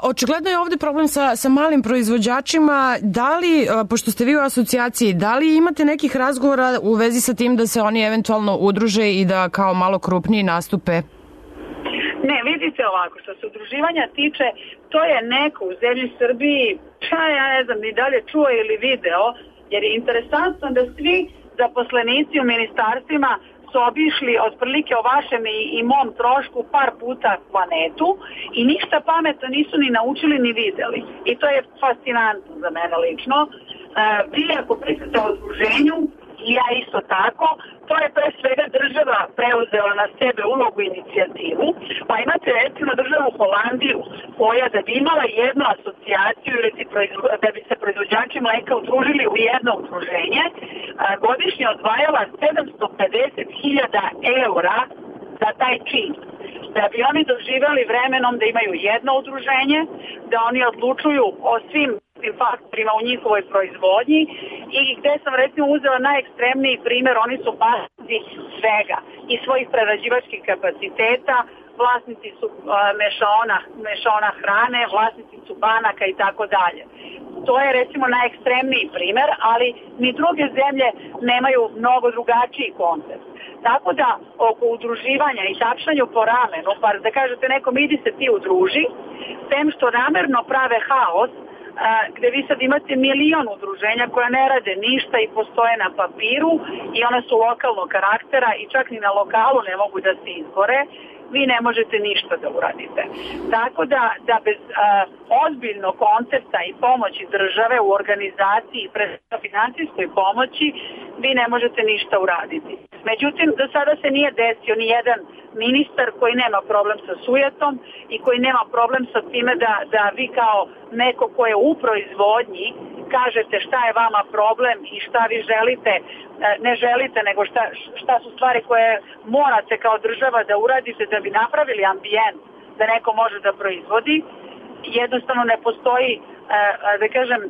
Speaker 5: Očigledno je ovde problem sa, sa malim proizvođačima. Da li, pošto ste vi u asocijaciji, da li imate nekih razgovora u vezi sa tim da se oni eventualno udruže i da kao malo krupniji nastupe?
Speaker 13: Ne, vidite ovako, što se udruživanja tiče, to je neko u zemlji Srbiji, šta ja ne znam, ni dalje čuo ili video, jer je interesantno da svi zaposlenici u ministarstvima su obišli otprilike o vašem i, i mom trošku par puta planetu i ništa pametno nisu ni naučili ni videli. I to je fascinantno za mene lično. E, vi ako pričate o udruženju, i ja isto tako, to je pre svega država preuzela na sebe ulogu inicijativu, pa imate recimo državu Holandiju koja da bi imala jednu asocijaciju ili da bi se proizvođači mleka udružili u jedno udruženje, godišnje odvajala sedamsto pedeset hiljada eura za taj čin. Da bi oni doživjeli vremenom da imaju jedno udruženje, da oni odlučuju o svim faktorima u njihovoj proizvodnji i gde sam recimo uzela najekstremniji primjer, oni su bazi svega i svojih prerađivačkih kapaciteta, vlasnici su mešaona, mešaona hrane, vlasnici su banaka i tako dalje. To je recimo najekstremniji primer, ali ni druge zemlje nemaju mnogo drugačiji koncept. Tako da oko udruživanja i tapšanju po ramenu, pa da kažete nekom idi se ti udruži, tem što namerno prave haos, gde vi sad imate milion udruženja koja ne rade ništa i postoje na papiru i ona su lokalnog karaktera i čak ni na lokalu ne mogu da se izbore, vi ne možete ništa da uradite. Tako da, da bez a, ozbiljnog koncepta i pomoći države u organizaciji i pre financijskoj pomoći vi ne možete ništa uraditi. Međutim, do sada se nije desio ni jedan ministar koji nema problem sa sujetom i koji nema problem sa time da, da vi kao neko ko je u proizvodnji kažete šta je vama problem i šta vi želite, ne želite, nego šta, šta su stvari koje morate kao država da uradite da bi napravili ambijent da neko može da proizvodi. Jednostavno ne postoji, da kažem,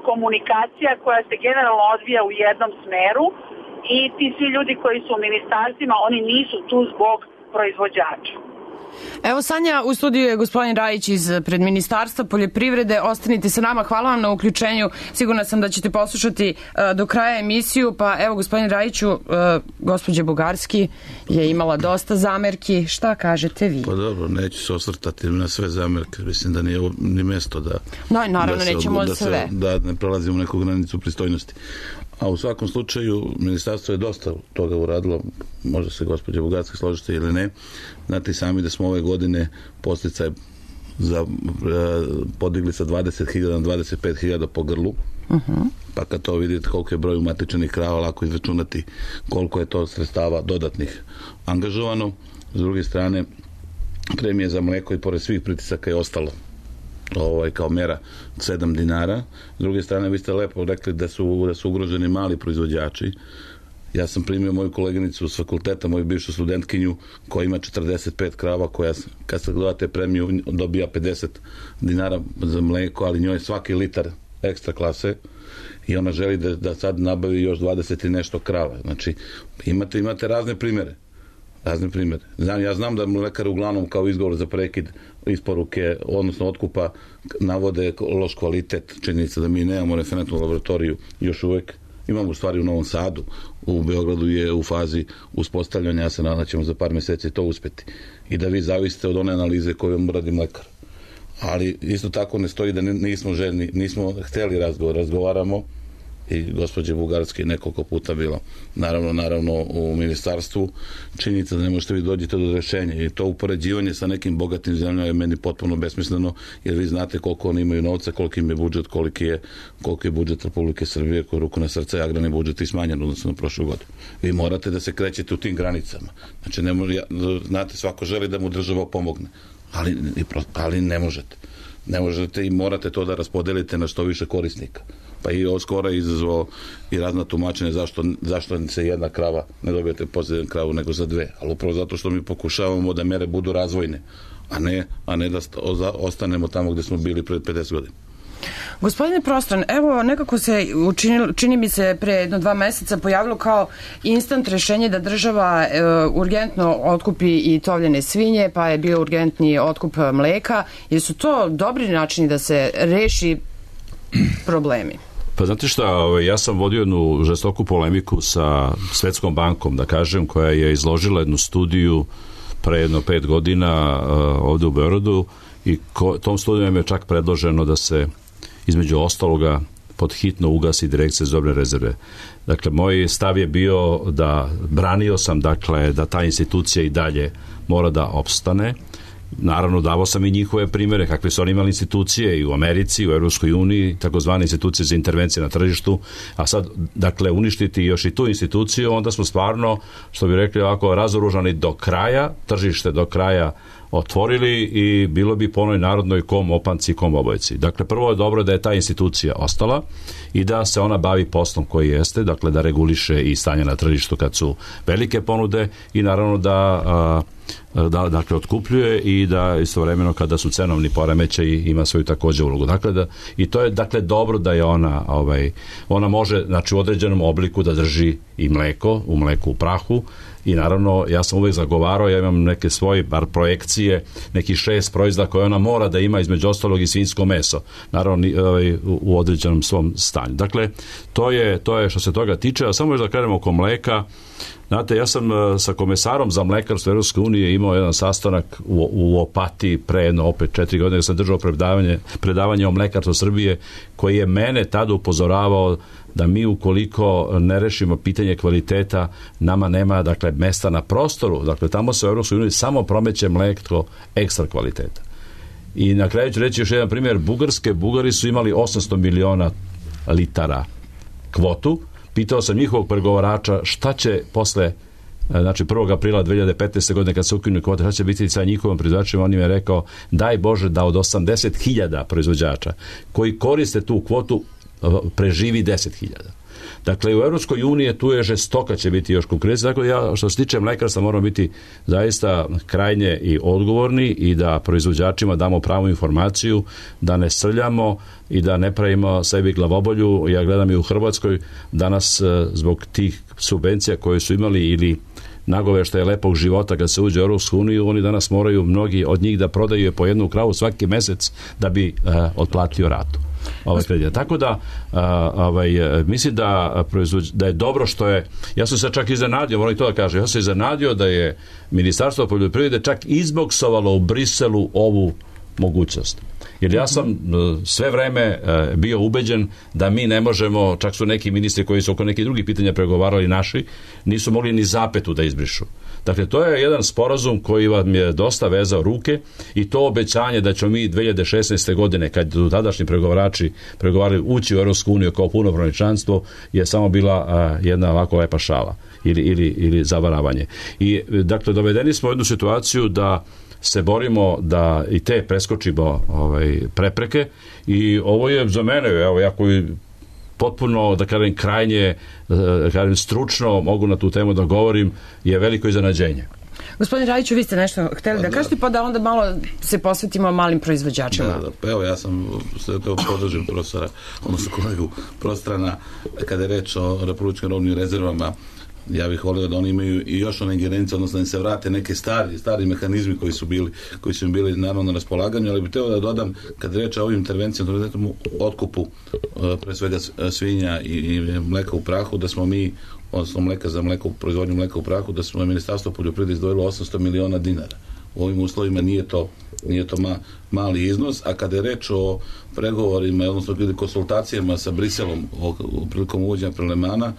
Speaker 13: komunikacija koja se generalno odvija u jednom smeru i ti svi ljudi koji su u ministarstvima, oni nisu tu zbog proizvođača.
Speaker 5: Evo Sanja, u studiju je gospodin Rajić iz pred Ministarstva poljoprivrede. Ostanite sa nama, hvala vam na uključenju. Sigurna sam da ćete poslušati uh, do kraja emisiju. Pa evo gospodin Rajiću, uh, gospođa Bugarski je imala dosta zamerki. Šta kažete vi?
Speaker 6: Pa dobro, neću se osvrtati na sve zamerke. Mislim da nije ni mesto da...
Speaker 5: No, naravno,
Speaker 6: da se,
Speaker 5: nećemo
Speaker 6: da
Speaker 5: sve.
Speaker 6: Se, da ne prelazimo neku granicu pristojnosti. A u svakom slučaju, ministarstvo je dosta toga uradilo, možda se gospođa Bugarska složite ili ne. Znate sami da smo ove godine posticaj za, podigli sa dvadeset hiljada na dvadeset pet hiljada po grlu. Uh-huh. Pa kad to vidite koliko je broj umatičenih krava, lako izračunati koliko je to sredstava dodatnih angažovano. S druge strane, premije za mleko i pored svih pritisaka je ostalo ovaj, kao mera sedam dinara. S druge strane, vi ste lepo rekli da su, da su ugroženi mali proizvođači. Ja sam primio moju koleginicu s fakulteta, moju bivšu studentkinju, koja ima četrdeset pet krava, koja, kad se gledate premiju, dobija pedeset dinara za mleko, ali njoj je svaki litar ekstra klase i ona želi da, da sad nabavi još dvadeset i nešto krava. Znači, imate, imate razne primere. Razne primere. Znam, ja znam da mlekari uglavnom kao izgovor za prekid isporuke, odnosno otkupa, navode loš kvalitet, činjenica da mi nemamo referentnu laboratoriju još uvek. Imamo u stvari u Novom Sadu, u Beogradu je u fazi uspostavljanja, ja se nadam da ćemo za par meseci to uspeti. I da vi zavisite od one analize koju vam radi mlekar. Ali isto tako ne stoji da nismo željni, nismo hteli razgovor, razgovaramo i gospođe Bugarske nekoliko puta bilo naravno, naravno u ministarstvu. Činjenica da ne možete vi dođete do rešenja i to upoređivanje sa nekim bogatim zemljama je meni potpuno besmisleno, jer vi znate koliko oni imaju novca, koliko im je budžet, koliki je, koliko je budžet Republike Srbije, koji ruku na srce i agrarni budžet i smanjen odnosno na prošlu godinu. Vi morate da se krećete u tim granicama. Znači, ne može, znate, svako želi da mu država pomogne, ali, ali ne možete. Ne možete i morate to da raspodelite na što više korisnika. Pa i ovo skoro je izazvao i razna tumačenja zašto, zašto se jedna krava ne dobijete posljednju kravu nego za dve. Ali upravo zato što mi pokušavamo da mere budu razvojne, a ne, a ne da ostanemo tamo gde smo bili pred pedeset godina.
Speaker 5: Gospodine Prostran, evo nekako se učinilo, čini mi se pre jedno dva meseca pojavilo kao instant rešenje da država e, urgentno otkupi i tovljene svinje, pa je bio urgentni otkup mleka. Jer su to dobri načini da se reši problemi?
Speaker 3: Pa znate šta, ja sam vodio jednu žestoku polemiku sa Svetskom bankom, da kažem, koja je izložila jednu studiju pre jedno pet godina uh, ovde u Beogradu i ko, tom studijom je čak predloženo da se između ostaloga pod hitno ugasi Direkcija za robne rezerve. Dakle, moj stav je bio da branio sam, dakle, da ta institucija i dalje mora da opstane. Naravno, davao sam i njihove primere, kakve su oni imali institucije i u Americi, u Evropskoj uniji, takozvane institucije za intervencije na tržištu, a sad, dakle, uništiti još i tu instituciju, onda smo stvarno, što bi rekli ovako, razoružani do kraja, tržište do kraja otvorili i bilo bi po onoj narodnoj kom opanci, kom obojci. Dakle, prvo je dobro da je ta institucija ostala i da se ona bavi poslom koji jeste, dakle, da reguliše i stanje na tržištu kad su velike ponude i naravno da a, da dakle otkupljuje i da istovremeno kada su cenovni poremećaji ima svoju takođe ulogu. Dakle da i to je dakle dobro da je ona ovaj ona može znači u određenom obliku da drži i mleko, u mleku u prahu i naravno ja sam uvek zagovarao, ja imam neke svoje bar projekcije, neki šest proizvoda koje ona mora da ima, između ostalog i svinjsko meso, naravno ovaj, u određenom svom stanju. Dakle, to je, to je što se toga tiče, a samo još da krenemo oko mleka. Znate, ja sam sa komesarom za mlekarstvo Evropske unije imao jedan sastanak u, u Opatiji pre jedno opet četiri godine, gde sam držao predavanje, predavanje o mlekarstvu Srbije, koji je mene tada upozoravao da mi ukoliko ne rešimo pitanje kvaliteta, nama nema, dakle, mesta na prostoru. Dakle, tamo se u Evropskoj uniji samo promeće mleko ekstra kvaliteta. I na kraju ću reći još jedan primjer. Bugarske, Bugari su imali osamsto miliona litara kvotu. Pitao sam njihovog pregovarača šta će posle, znači prvog aprila dve hiljade petnaeste. godine kad se ukinu kvote, šta će biti sa njihovim proizvođačima. On im je rekao, daj Bože da od osamdeset hiljada proizvođača koji koriste tu kvotu preživi deset hiljada. Dakle, u Evropskoj uniji tu je žestoka će biti još konkurencija. Dakle, ja, što se tiče mlekarstva, moramo biti zaista krajnje i odgovorni i da proizvođačima damo pravu informaciju, da ne srljamo i da ne pravimo sebi glavobolju. Ja gledam i u Hrvatskoj danas zbog tih subvencija koje su imali ili nagoveštaja lepog života kad se uđe u Europsku uniju, oni danas moraju mnogi od njih da prodaju po jednu kravu svaki mesec da bi uh, otplatio ratu. Ovaj kredit. Tako da a, ovaj, mislim da, da je dobro što je, ja sam se čak iznenadio, moram i to da kažem, ja sam se iznenadio da je Ministarstvo poljoprivrede čak izboksovalo u Briselu ovu mogućnost. Jer ja sam sve vreme bio ubeđen da mi ne možemo, čak su neki ministri koji su oko nekih drugih pitanja pregovarali naši, nisu mogli ni zapetu da izbrišu. Dakle, to je jedan sporazum koji vam je dosta vezao ruke i to obećanje da ćemo mi dve hiljade šesnaeste. godine, kad su tadašnji pregovarači pregovarali ući u Evropsku uniju kao punopravno članstvo, je samo bila a, jedna ovako lepa šala ili, ili, ili zavaravanje. I, dakle, dovedeni smo u jednu situaciju da se borimo da i te preskočimo ovaj, prepreke i ovo je za mene, evo, ja koji potpuno, da kažem, krajnje, da kažem, stručno mogu na tu temu da govorim, je veliko iznenađenje.
Speaker 5: Gospodin Rajiću, vi ste nešto hteli da, da kažete, pa da onda malo se posvetimo malim proizvođačima.
Speaker 6: Da, da, pa evo, ja sam sve to podržim profesora, odnosno kolegu Prostrana, kada je reč o republičkim robnim rezervama. Ja bih volio da oni imaju i još one ingerencije, odnosno da se vrate neke stari, stari mehanizmi koji su bili, koji su im bili naravno na raspolaganju, ali bih teo da dodam, kad reč o ovim intervencijama, otkupu pre svega svinja i, i mleka u prahu, da smo mi, odnosno mleka za mleko, proizvodnju mleka u prahu, da smo Ministarstvo poljoprivrede izdvojilo osamsto miliona dinara. U ovim uslovima nije to, nije to ma, mali iznos, a kada je reč o pregovorima, odnosno konsultacijama sa Briselom o, o prilikom uvođenja prelemana,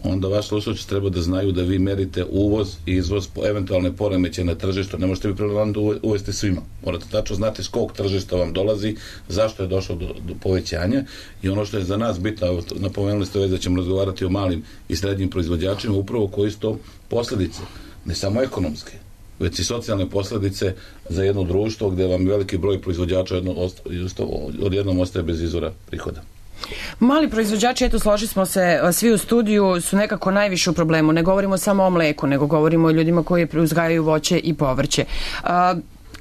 Speaker 6: onda vaš slušalci treba da znaju da vi merite uvoz i izvoz po eventualne poremeće na tržištu. Ne možete vi preleman da uvesti svima. Morate tačno znati s kog tržišta vam dolazi, zašto je došlo do, do povećanja i ono što je za nas bitno, napomenuli ste već da ćemo razgovarati o malim i srednjim proizvođačima, upravo koji su to posledice, ne samo ekonomske, već i socijalne posledice za jedno društvo gde vam veliki broj proizvođača jedno, odjednom ostaje bez izvora prihoda.
Speaker 5: Mali proizvođači, eto, složili smo se svi u studiju, su nekako najviše u problemu. Ne govorimo samo o mleku, nego govorimo o ljudima koji uzgajaju voće i povrće. A,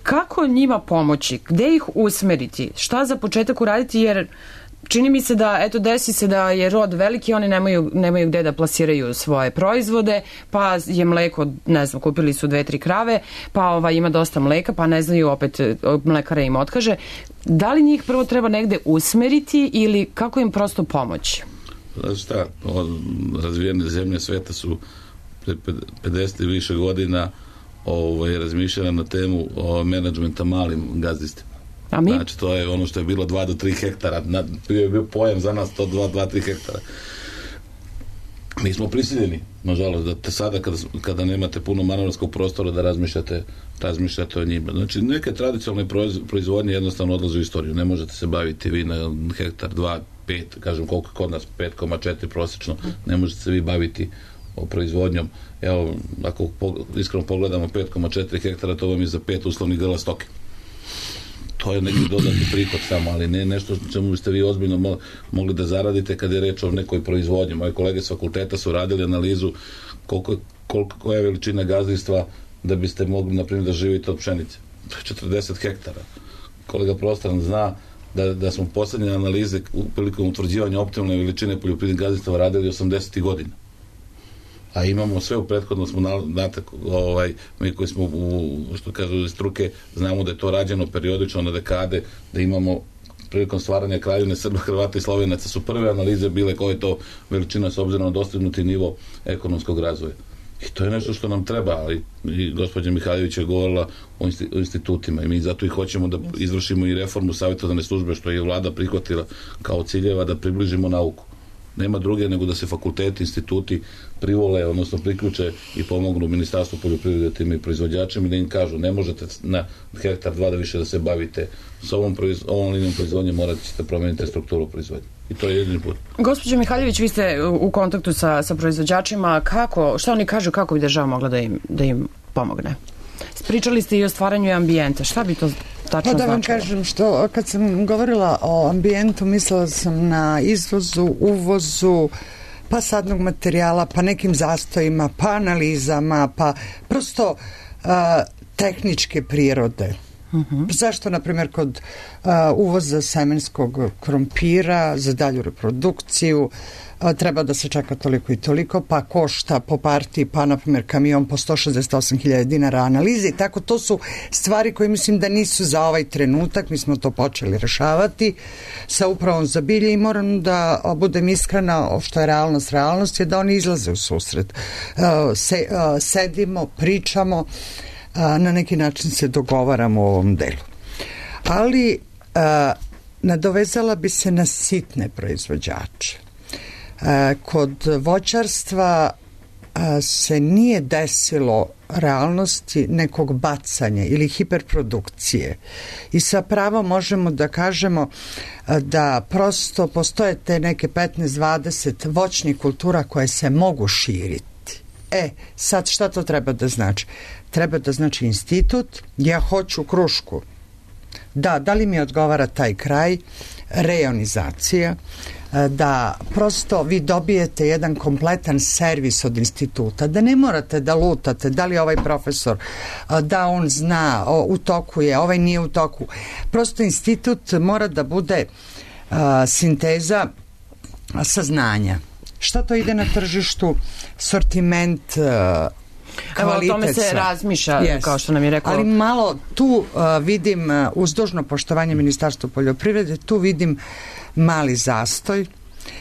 Speaker 5: kako njima pomoći? Gde ih usmeriti? Šta za početak uraditi? Jer čini mi se da, eto, desi se da je rod veliki, oni nemaju, nemaju gde da plasiraju svoje proizvode, pa je mleko, ne znam, kupili su dve, tri krave, pa ova, ima dosta mleka, pa ne znaju, opet mlekara im otkaže. Da li njih prvo treba negde usmeriti ili kako im prosto pomoći?
Speaker 6: Znači šta, razvijene zemlje sveta su pre pedeset i više godina ovaj, razmišljala na temu o menadžmenta malim gazdinstvima.
Speaker 5: A mi?
Speaker 6: Znači, to je ono što je bilo dva do tri hektara. Na, bio je bio pojam za nas to dva do tri hektara. Mi smo prisiljeni, nažalost, da te sada kada, kada nemate puno manevarskog prostora da razmišljate, razmišljate o njima. Znači, neke tradicionalne proizvodnje jednostavno odlaze u istoriju. Ne možete se baviti vi na hektar, dva, pet, kažem koliko kod nas, pet zarez četiri prosječno, ne možete se vi baviti o proizvodnjom. Evo, ako iskreno pogledamo pet zarez četiri hektara, to vam je za pet uslovnih grla stoke. To je neki dodatni prihod samo, ali ne nešto čemu biste vi ozbiljno mogli da zaradite kada je reč o nekoj proizvodnji. Moje kolege s fakulteta su radili analizu koliko, koliko, koja je veličina gazdinstva da biste mogli, na primjer, da živite od pšenice. To je četrdeset hektara. Kolega Prostran zna da, da smo poslednje analize prilikom utvrđivanja optimalne veličine poljoprivrednih gazdinstava radili osamdesetih godina. a imamo sve u prethodno smo znate, ovaj, mi koji smo u, što kažu iz struke, znamo da je to rađeno periodično na dekade, da imamo prilikom stvaranja Kraljevine Srba, Hrvata i Slovenaca su prve analize bile koja je to veličina s obzirom na dostignuti nivo ekonomskog razvoja. I to je nešto što nam treba, ali i gospođa Mihajlović je govorila o institutima i mi zato i hoćemo da izvršimo i reformu savjetodavne službe, što je vlada prihvatila kao ciljeva, da približimo nauku. Nema druge nego da se fakulteti, instituti privole, odnosno priključe i pomognu Ministarstvu poljoprivrede tim i proizvođačima i da im kažu ne možete na hektar dva da više da se bavite s ovom, proiz, ovom linijom proizvodnje, morat ćete promeniti strukturu proizvodnje. I to je jedini put.
Speaker 5: Gospođo Mihajlović, vi ste u kontaktu sa, sa proizvođačima. Kako, šta oni kažu, kako bi država mogla da im, da im pomogne? Pričali ste i o stvaranju ambijenta. Šta bi to tačno
Speaker 4: pa da vam
Speaker 5: značilo?
Speaker 4: kažem, što kad sam govorila o ambijentu, mislila sam na izvozu, uvozu, pa sadnog materijala, pa nekim zastojima, pa analizama, pa prosto uh, tehničke prirode. Uh-huh. Zašto, na primjer, kod uh, uvoza semenskog krompira za dalju reprodukciju uh, treba da se čeka toliko i toliko, pa košta po partiji, pa, na primjer, kamion po sto šezdeset osam hiljada dinara analize i tako, to su stvari koje mislim da nisu za ovaj trenutak, mi smo to počeli rešavati sa upravom za bilje i moram da budem iskrena, što je realnost, realnost je da oni izlaze u susret. Uh, se, uh, sedimo, pričamo, a, na neki način se dogovaramo u ovom delu. Ali a, nadovezala bi se na sitne proizvođače. A, kod voćarstva a, se nije desilo realnosti nekog bacanja ili hiperprodukcije. I sa pravom možemo da kažemo a, da prosto postoje te neke petnaest dvadeset voćnih kultura koje se mogu širiti. E, sad šta to treba da znači? Treba da znači institut, ja hoću krušku. Da, da li mi odgovara taj kraj? Rejonizacija, da prosto vi dobijete jedan kompletan servis od instituta, da ne morate da lutate da li ovaj profesor, da on zna, u toku je, ovaj nije u toku. Prosto institut mora da bude a, sinteza saznanja. Šta to ide na tržištu? Sortiment, kvalitet.
Speaker 5: Evo, o tome se razmišlja, yes. Kao što nam je rekao.
Speaker 4: Ali malo tu uh, vidim, uh, uz dužno poštovanje Ministarstva poljoprivrede, tu vidim mali zastoj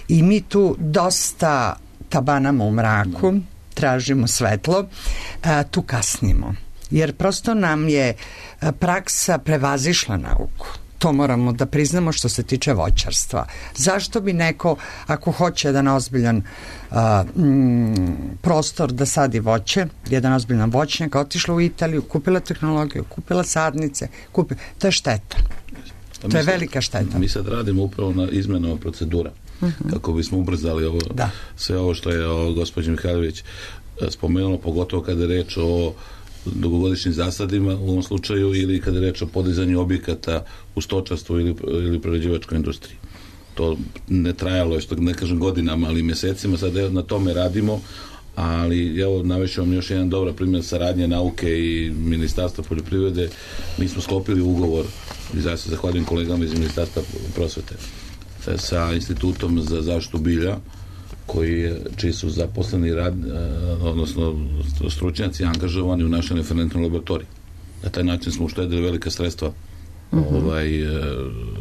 Speaker 4: i mi tu dosta tabanamo u mraku, tražimo svetlo, uh, tu kasnimo. Jer prosto nam je uh, praksa prevazišla nauku. To moramo da priznamo što se tiče voćarstva. Zašto bi neko, ako hoće jedan ozbiljan a, mm, prostor da sadi voće, jedan ozbiljan voćnjak, otišla u Italiju, kupila tehnologiju, kupila sadnice, kupila, to je šteta.
Speaker 6: Pa
Speaker 4: to je
Speaker 6: sad,
Speaker 4: velika šteta.
Speaker 6: Mi sad radimo upravo na izmenama procedura, uh-huh. kako bismo ubrzali ovo, da. sve ovo što je o, gospođa Mihajlović spomenula, pogotovo kada je reč o dugogodišnjim zasadima u ovom slučaju ili kada je reč o podizanju objekata u stočarstvu ili, ili prerađivačkoj industriji. To ne trajalo je, što ne kažem godinama, ali mjesecima, sad na tome radimo, ali evo navešću vam još jedan dobar primjer saradnje nauke i Ministarstva poljoprivrede. Mi smo sklopili ugovor, i zaista zahvaljujem kolegama iz Ministarstva prosvete, sa Institutom za zaštitu bilja, koji, čiji su zaposleni rad, odnosno stručnjaci angažovani u našoj referentnoj laboratoriji. Na taj način smo uštedili velika sredstva uh-huh. ovaj,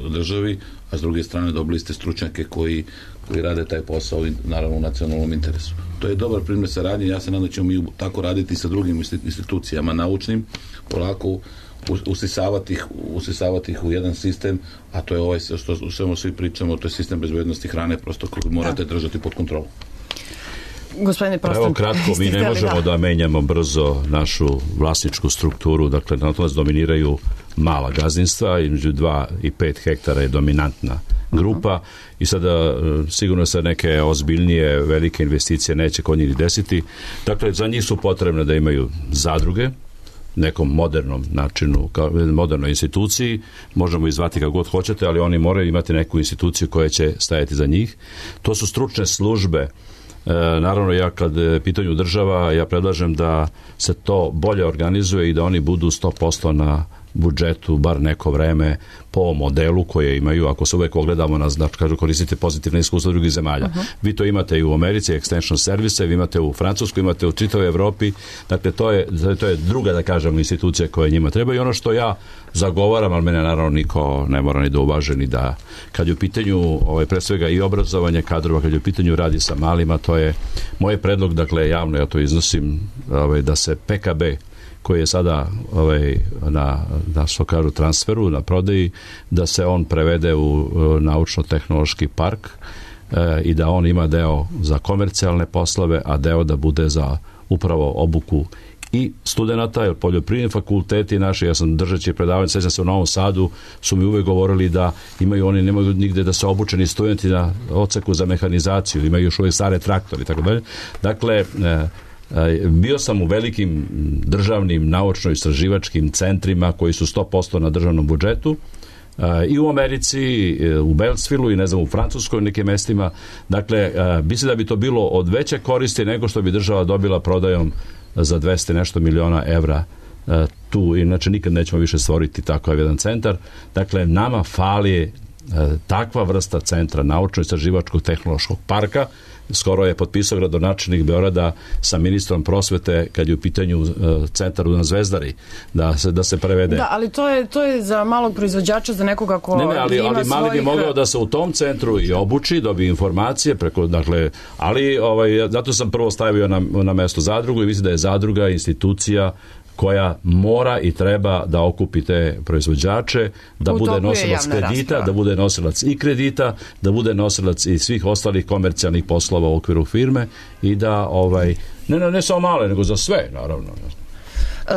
Speaker 6: državi, a s druge strane dobili ste stručnjake koji, koji rade taj posao i naravno u nacionalnom interesu. To je dobar primjer saradnje, ja se nadam da ćemo mi tako raditi sa drugim institucijama naučnim, polako usisavati ih, usisavati ih u jedan sistem, a to je ovaj što u svemu svi pričamo, to je sistem bezbednosti hrane, prosto koji morate da. držati pod kontrolom.
Speaker 5: Gospodine Prostan,
Speaker 3: evo kratko, mi ne možemo da. da menjamo brzo našu vlasničku strukturu, dakle na to nas dominiraju mala gazdinstva, između dva i pet hektara je dominantna grupa uh-huh. i sada sigurno se neke ozbiljnije velike investicije neće kod njih desiti. Dakle, za njih su potrebne da imaju zadruge, nekom modernom načinu, kao modernoj instituciji, možemo izvati kako god hoćete, ali oni moraju imati neku instituciju koja će stajati za njih. To su stručne službe. E, naravno, ja kad pitanju država, ja predlažem da se to bolje organizuje i da oni budu sto posto na budžetu bar neko vreme po modelu koje imaju, ako se uvek ogledamo na, znači, kažu, koristite pozitivne iskustva drugih zemalja. Uh-huh. Vi to imate i u Americi, extension service, vi imate u Francuskoj, imate u čitavoj Evropi, dakle to je, to je druga, da kažem, institucija koja njima treba i ono što ja zagovaram, ali mene naravno niko ne mora ni da uvaže, ni da, kad je u pitanju ovaj, pre svega i obrazovanje kadrova, kad je u pitanju radi sa malima, to je moj predlog, dakle javno ja to iznosim, ovaj, da se P K B koji je sada ovaj, na, na što kažu transferu, na prodaji, da se on prevede u naučno-tehnološki park e, i da on ima deo za komercijalne poslove, a deo da bude za upravo obuku i studenata, jer poljoprivredni fakulteti naši, ja sam držeći predavanje, sećam se u Novom Sadu, su mi uvek govorili da imaju, oni nemaju nigde da se obučeni studenti na odseku za mehanizaciju, imaju još uvek stare traktori i tako dalje. Dakle, e, bio sam u velikim državnim naučno-istraživačkim centrima koji su sto posto na državnom budžetu i u Americi, u Beltsvilu i ne znam u Francuskoj nekim mestima. Dakle, mislim da bi to bilo od veće koristi nego što bi država dobila prodajom za dvesta nešto miliona evra tu. Inače nikad nećemo više stvoriti takav jedan centar. Dakle, nama fali takva vrsta centra naučno-istraživačkog tehnološkog parka. Skoro je potpisao gradonačelnik Beograda sa ministrom prosvete kad je u pitanju uh, centar na Zvezdari da se, da se prevede.
Speaker 5: Da, ali to je, to je za malog proizvođača, za nekoga ko
Speaker 3: ne, ne, ali,
Speaker 5: ima
Speaker 3: ali mali
Speaker 5: svojih...
Speaker 3: bi mogao da se u tom centru i obuči, dobije informacije preko, dakle, ali ovaj, zato sam prvo stavio na, na mesto zadrugu i mislim da je zadruga institucija koja mora i treba da okupi te proizvođače, da
Speaker 5: u
Speaker 3: bude nosilac kredita, rasprava. Da bude nosilac i kredita, da bude nosilac i svih ostalih komercijalnih poslova u okviru firme i da, ovaj, ne, ne, ne samo male, nego za sve, naravno.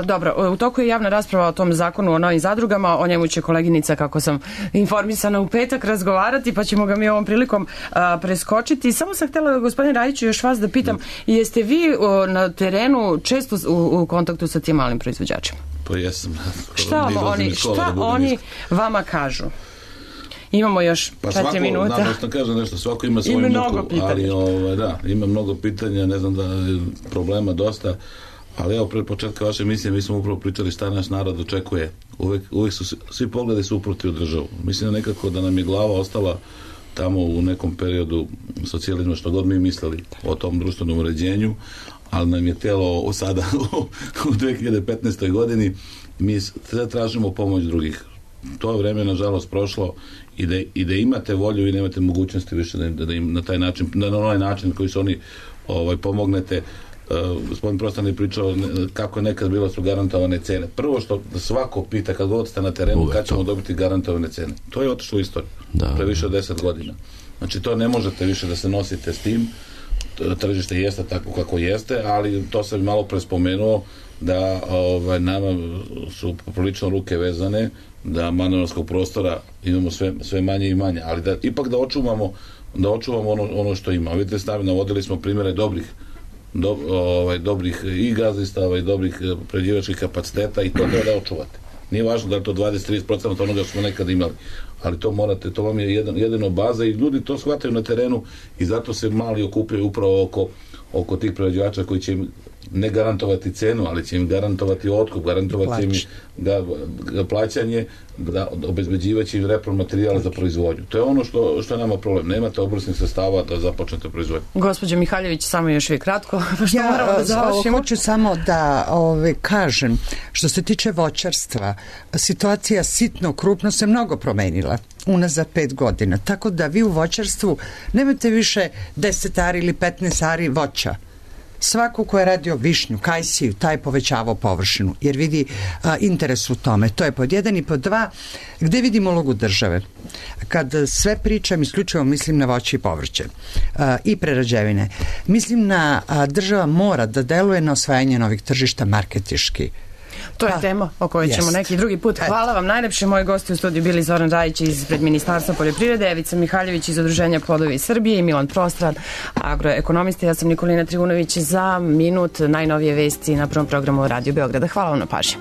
Speaker 5: Dobro, u toku je javna rasprava o tom zakonu o novim zadrugama, o njemu će koleginica, kako sam informisana, u petak razgovarati, pa ćemo ga mi ovom prilikom a, preskočiti. Samo sam htjela, gospodine Rajiću, još vas da pitam, da. Jeste vi o, na terenu često u, u kontaktu sa tim malim proizvođačima?
Speaker 6: Pa jesam.
Speaker 5: Šta oni, šta oni vama kažu? Imamo još
Speaker 6: pa
Speaker 5: četiri
Speaker 6: svako,
Speaker 5: minuta.
Speaker 6: Pa svako, kažem nešto, svako ima svoju muku, ali ovaj, da, ima mnogo pitanja, ne znam da je problema dosta. Ali evo, pred početka vaše emisije mi smo upravo pričali šta naš narod očekuje. Uvek, uvek su svi pogledi su uproti u državu. Mislim da nekako da nam je glava ostala tamo u nekom periodu socijalizma, što god mi mislili o tom društvenom uređenju, ali nam je telo sada u dve hiljade petnaestoj godini mi sve tražimo pomoć drugih. To vreme nažalost prošlo i da, i da imate volju i nemate mogućnosti više da, da im na taj način, na onaj način koji su oni ovaj, pomognete. Uh, gospodin Prostan je pričao kako je nekad bilo su garantovane cene. Prvo što svako pita kad god ste na terenu kad ćemo dobiti garantovane cene. To je otišlo u istoriju. Da, pre više od deset godina. Znači to ne možete više da se nosite s tim. Tržište jeste tako kako jeste, ali to sam malo prespomenuo da ovaj, nama su prilično ruke vezane, da manevarskog prostora imamo sve, sve manje i manje, ali da ipak da očuvamo da očuvamo ono, ono što imamo. Vidite, stavimo, navodili smo primjere dobrih Do, ovaj, dobrih i gazdistava i dobrih prerađivačkih kapaciteta i to treba da očuvate. Nije važno da je to dvadeset do trideset posto onoga što smo nekad imali, ali to morate, to vam je jedan, jedino baza i ljudi to shvataju na terenu i zato se mali okupljaju upravo oko, oko tih prerađivača koji će im ne garantovati cenu, ali će im garantovati otkup, garantovati im ga, ga plaćanje, da obezbeđivaće im repromaterijal za proizvodnju. To je ono što, što je nama problem. Nemate obrasnih sredstava da započnete proizvodnju.
Speaker 5: Gospođo Mihaljević, samo još vi kratko. Što
Speaker 4: ja
Speaker 5: da završimo.
Speaker 4: Hoću samo da ove, kažem, što se tiče voćarstva, situacija sitno, krupno se mnogo promenila unazad pet godina. Tako da vi u voćarstvu nemate više deset ari ili petnaest ari voća. Svako ko je radio višnju, kajsiju, taj povećavao površinu, jer vidi a, interes u tome. To je pod jedan i pod dva. Gde vidimo ulogu države? Kad sve pričam, isključivo mislim na voće i povrće a, i prerađevine. Mislim na a, država mora da deluje na osvajanje novih tržišta marketiški.
Speaker 5: To je pa, tema o kojoj ćemo jest. neki drugi put. Hvala vam najlepše. Moji gosti u studiju bili Zoran Rajić ispred Ministarstva poljoprivrede, Evica Mihaljević iz Udruženja Plodovi Srbije i Milan Prostran, agroekonomista. Ja sam Nikolina Trivunović. Za minut najnovije vesti na prvom programu Radio Beograda. Hvala vam na pažnji.